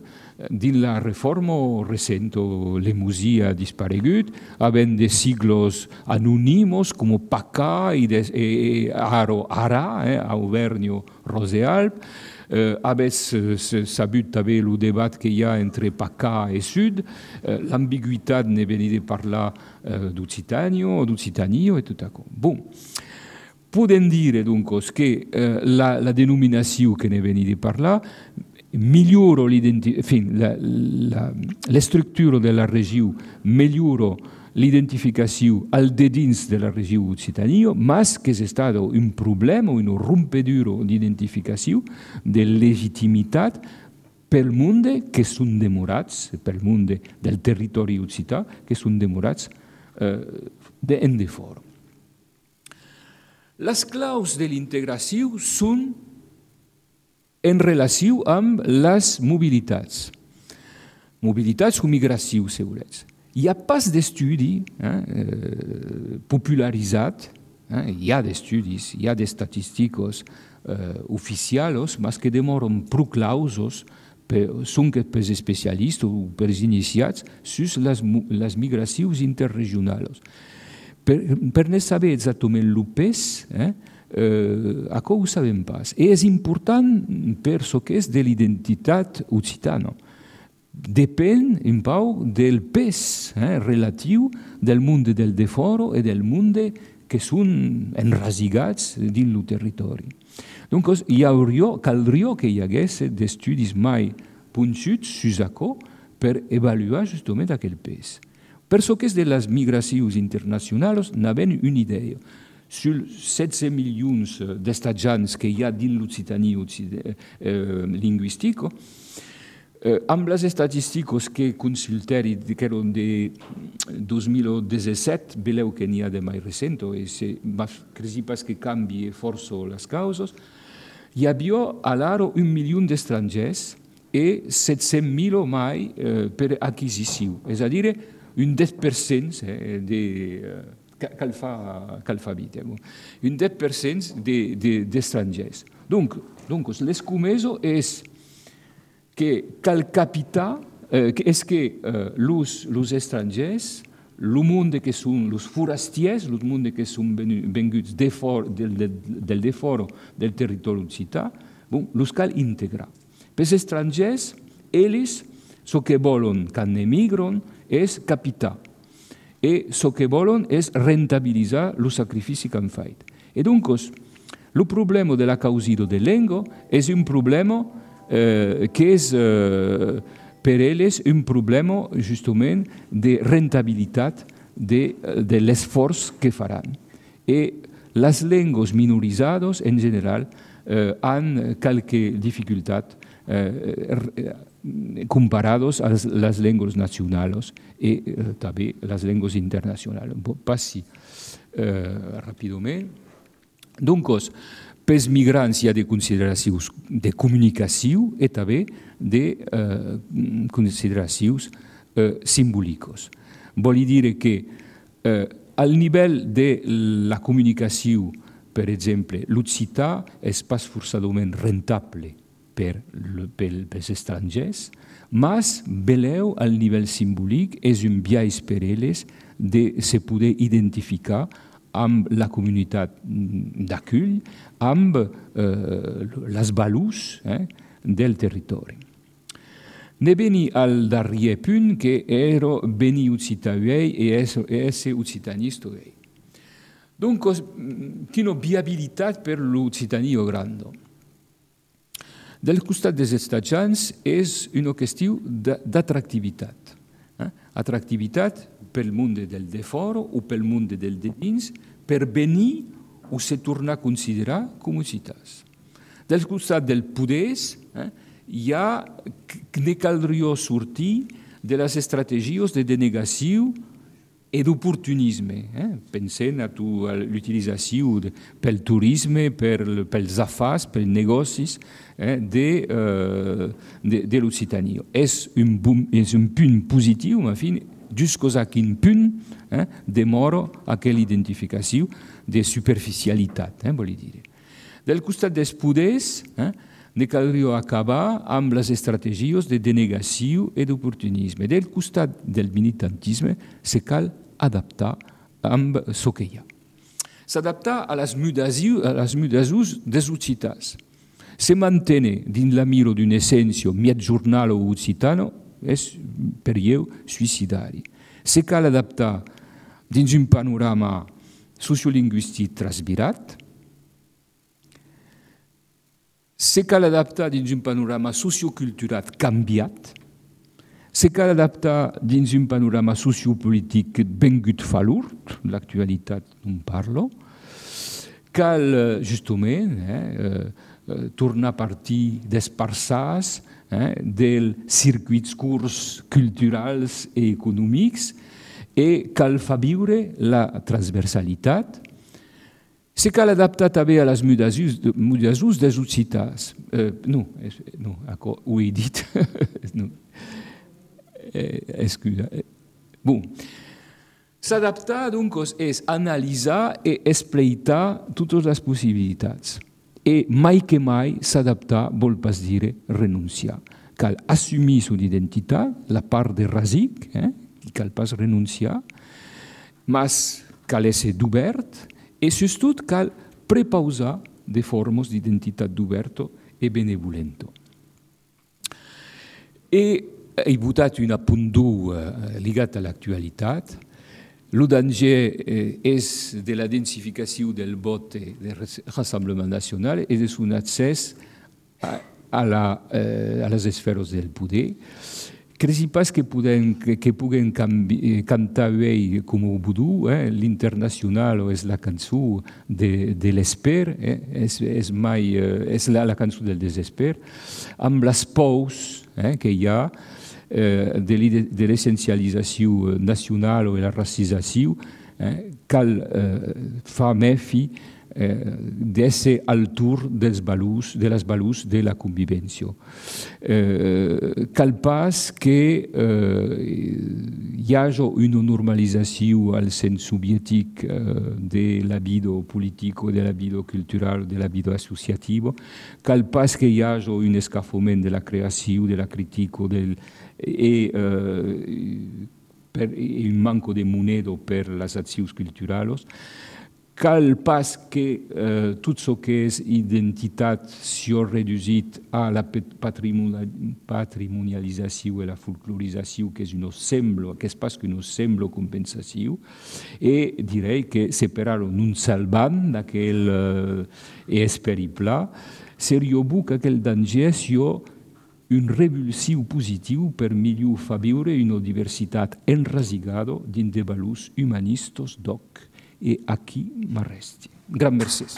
dins la reforma recent, l'emusia ha disparegut, havent de siglos anònimos com Pacà i de, eh, Aro Ara, eh, Auvernio Rosealp, eh, havent sabut també el debat que hi ha entre Pacà i Sud, eh, l'ambigüitat ne venia de parlar eh, d'Occitanio, d'Occitanio i tot això. Bon. Podem dir, doncs, que eh, la, la denominació que ne venia de parlar migliora l'estructura de la regió, migliora l'identificació al de dins de la regió Occitania, mas que és estat un problema, una rompedura d'identificació, de legitimitat pel món que són demorats, pel món del territori occità, que són demorats eh, en de fora. Les claus de l'integració són en relació amb les mobilitats. Mobilitats o migració, segurets. Hi ha pas d'estudi eh, popularitzat, eh, hi ha d'estudis, hi ha d'estatísticos eh, oficials, mas que demoren prou clausos, són que per especialistes o per iniciats, sus les, les migracions interregionals. Per, per ne saber exactament el pes, eh, Uh, això ho sabem pas. I és important per ce que és de l'identitat occitana. Depèn un pau del pes eh, relatiu del món del de fora i del món que són enrasigats dins el territori. Donc, hi hauria, caldria que hi hagués d'estudis mai punxuts sus això per avaluar justament aquell pes. Per ce que és de les migracions internacionals, n'havem una idea. Sur setze milions d'estatjans que hi ha dins l'Occitanie eh, lingüística, eh, amb les estadístiques que consulteri, que eren de dos mil disset, veleu que n'hi ha de mai recent, i crec pas que canvi força les causes, hi havia a l'ara un milió d'estrangers i set-cents mil mai eh, per acquisició, és a dir, un deu per cent eh, de... Eh, Cal fa, cal fa vita. Un deu per cent d'estrangers. Donc, donc l'escomeso és que cal capitar, eh, és que eh, los estrangers, el món que són els forastiers, el món que són venguts de for, del, del, del de fora del territori occità, bon, los cal integrar. Per els estrangers, ells, el que volen quan emigren és capitar. I el que volen és rentabilitzar el sacrifici que han fet. I doncs, el problema de la causido de llengua és un problema eh, que és eh, per ells un problema justament de rentabilitat de, de l'esforç que faran. I les llengües minoritzades, en general, eh, han qualque dificultat eh, comparados a les llengües nacionals i eh, també les llengües internacionals. Passi eh, ràpidament. Donc, pels migrants hi ha de consideracions de comunicació i també de eh, consideracions eh, simbòliques. Vol dir que eh, al nivell de la comunicació, per exemple, l'occità és pas forçadament rentable per, per, pels estrangers, mas veleu al nivell simbòlic és un biaix per elles de se poder identificar amb la comunitat d'acull, amb eh, les valors eh, del territori. Ne veni al darrier punt che ero veni ucitavei e esse ucitanistoei. Dunque, quina viabilitat per l'Occitania grande. Del costat dels estats és una qüestió d'atractivitat. Eh? Atractivitat pel món del de fora o pel món del de dins, per venir o se tornar a considerar com ciutats. Del costat del poders, eh, hi ha ne caldria sortir de les estratègies de denegació i d'oportunisme. Eh? Pensem a l'utilització pel turisme, per, pels afars, pels negocis eh, de, uh, de, de l'Occitania. És un, és un punt positiu, en fi, jusqu'à quin punt eh, demora aquella identificació de superficialitat, eh, vol dir. Del costat dels poders, eh, ne caldria acabar amb les estratègies de denegació i d'oportunisme. Del costat del militantisme se cal adaptar amb el que hi ha. S'adaptar a les mutacions dels occitats. Se mantenir dins la mira d'una essència mezzogiornale o occitana és per io suïcidari. Se cal adaptar dins un panorama sociolingüístic transvirat, se cal adaptar dins un panorama sociocultural canviat, se cal adaptar dins un panorama sociopolític vengut falurt, l'actualitat non parlo, cal justament eh, eh, tornar a partir dels parçats, eh, dels circuits curts culturals i econòmics, i cal fa viure la transversalitat. Se cal adaptar també a les mutacions dels occitats. Eh, no, no, ho he dit. no. eh, excusa. Bon. S'adaptar, doncs, és analitzar i explotar totes les possibilitats. I mai que mai s'adaptar vol pas dir renunciar. Cal assumir son identitat, la part de rasic, eh, cal pas renunciar, mas cal ésser d'obert, e sobretot cal prepausar de formes d'identitat d'oberto e benevolento. E he votat un apunt ligat a l'actualitat. El danger és de la densificació del vot del Rassemblement Nacional i de son accés a, la, a les esferes del poder. Crec pas que, podem, que, que puguem canvi, cantar bé com ho vudú, eh? L'Internacional és la cançó de, de l'esper, eh? és, és, mai, és la, la cançó del desesper, amb les pors eh? que hi ha eh, de l'essencialització nacional o de la racizació, eh? cal eh, fa mefi Eh, d'ésser al tour dels valors, de les valors de la convivència. Eh, cal pas que eh, hi hagi una normalització al sens soviètic eh, de la vida política, de la vida cultural, de la vida associativa. Cal pas que hi hagi un escafament de la creació, de la crítica del, i eh, per, un manco de moneda per les accions culturals. Cal pas que eh, tot el que és identitat s'ha reduït a la patrimonialització i la folclorització, que és un semblo, que és pas que un semblo compensació, i direi que separar-ho non salvant d'aquell eh, esperiple, seria bo que aquell danger sia un revulsiu positiu per millor fa viure una diversitat enrasigada dins de valors humanistes d'oc. E aquí m'arresti. Gran mercès.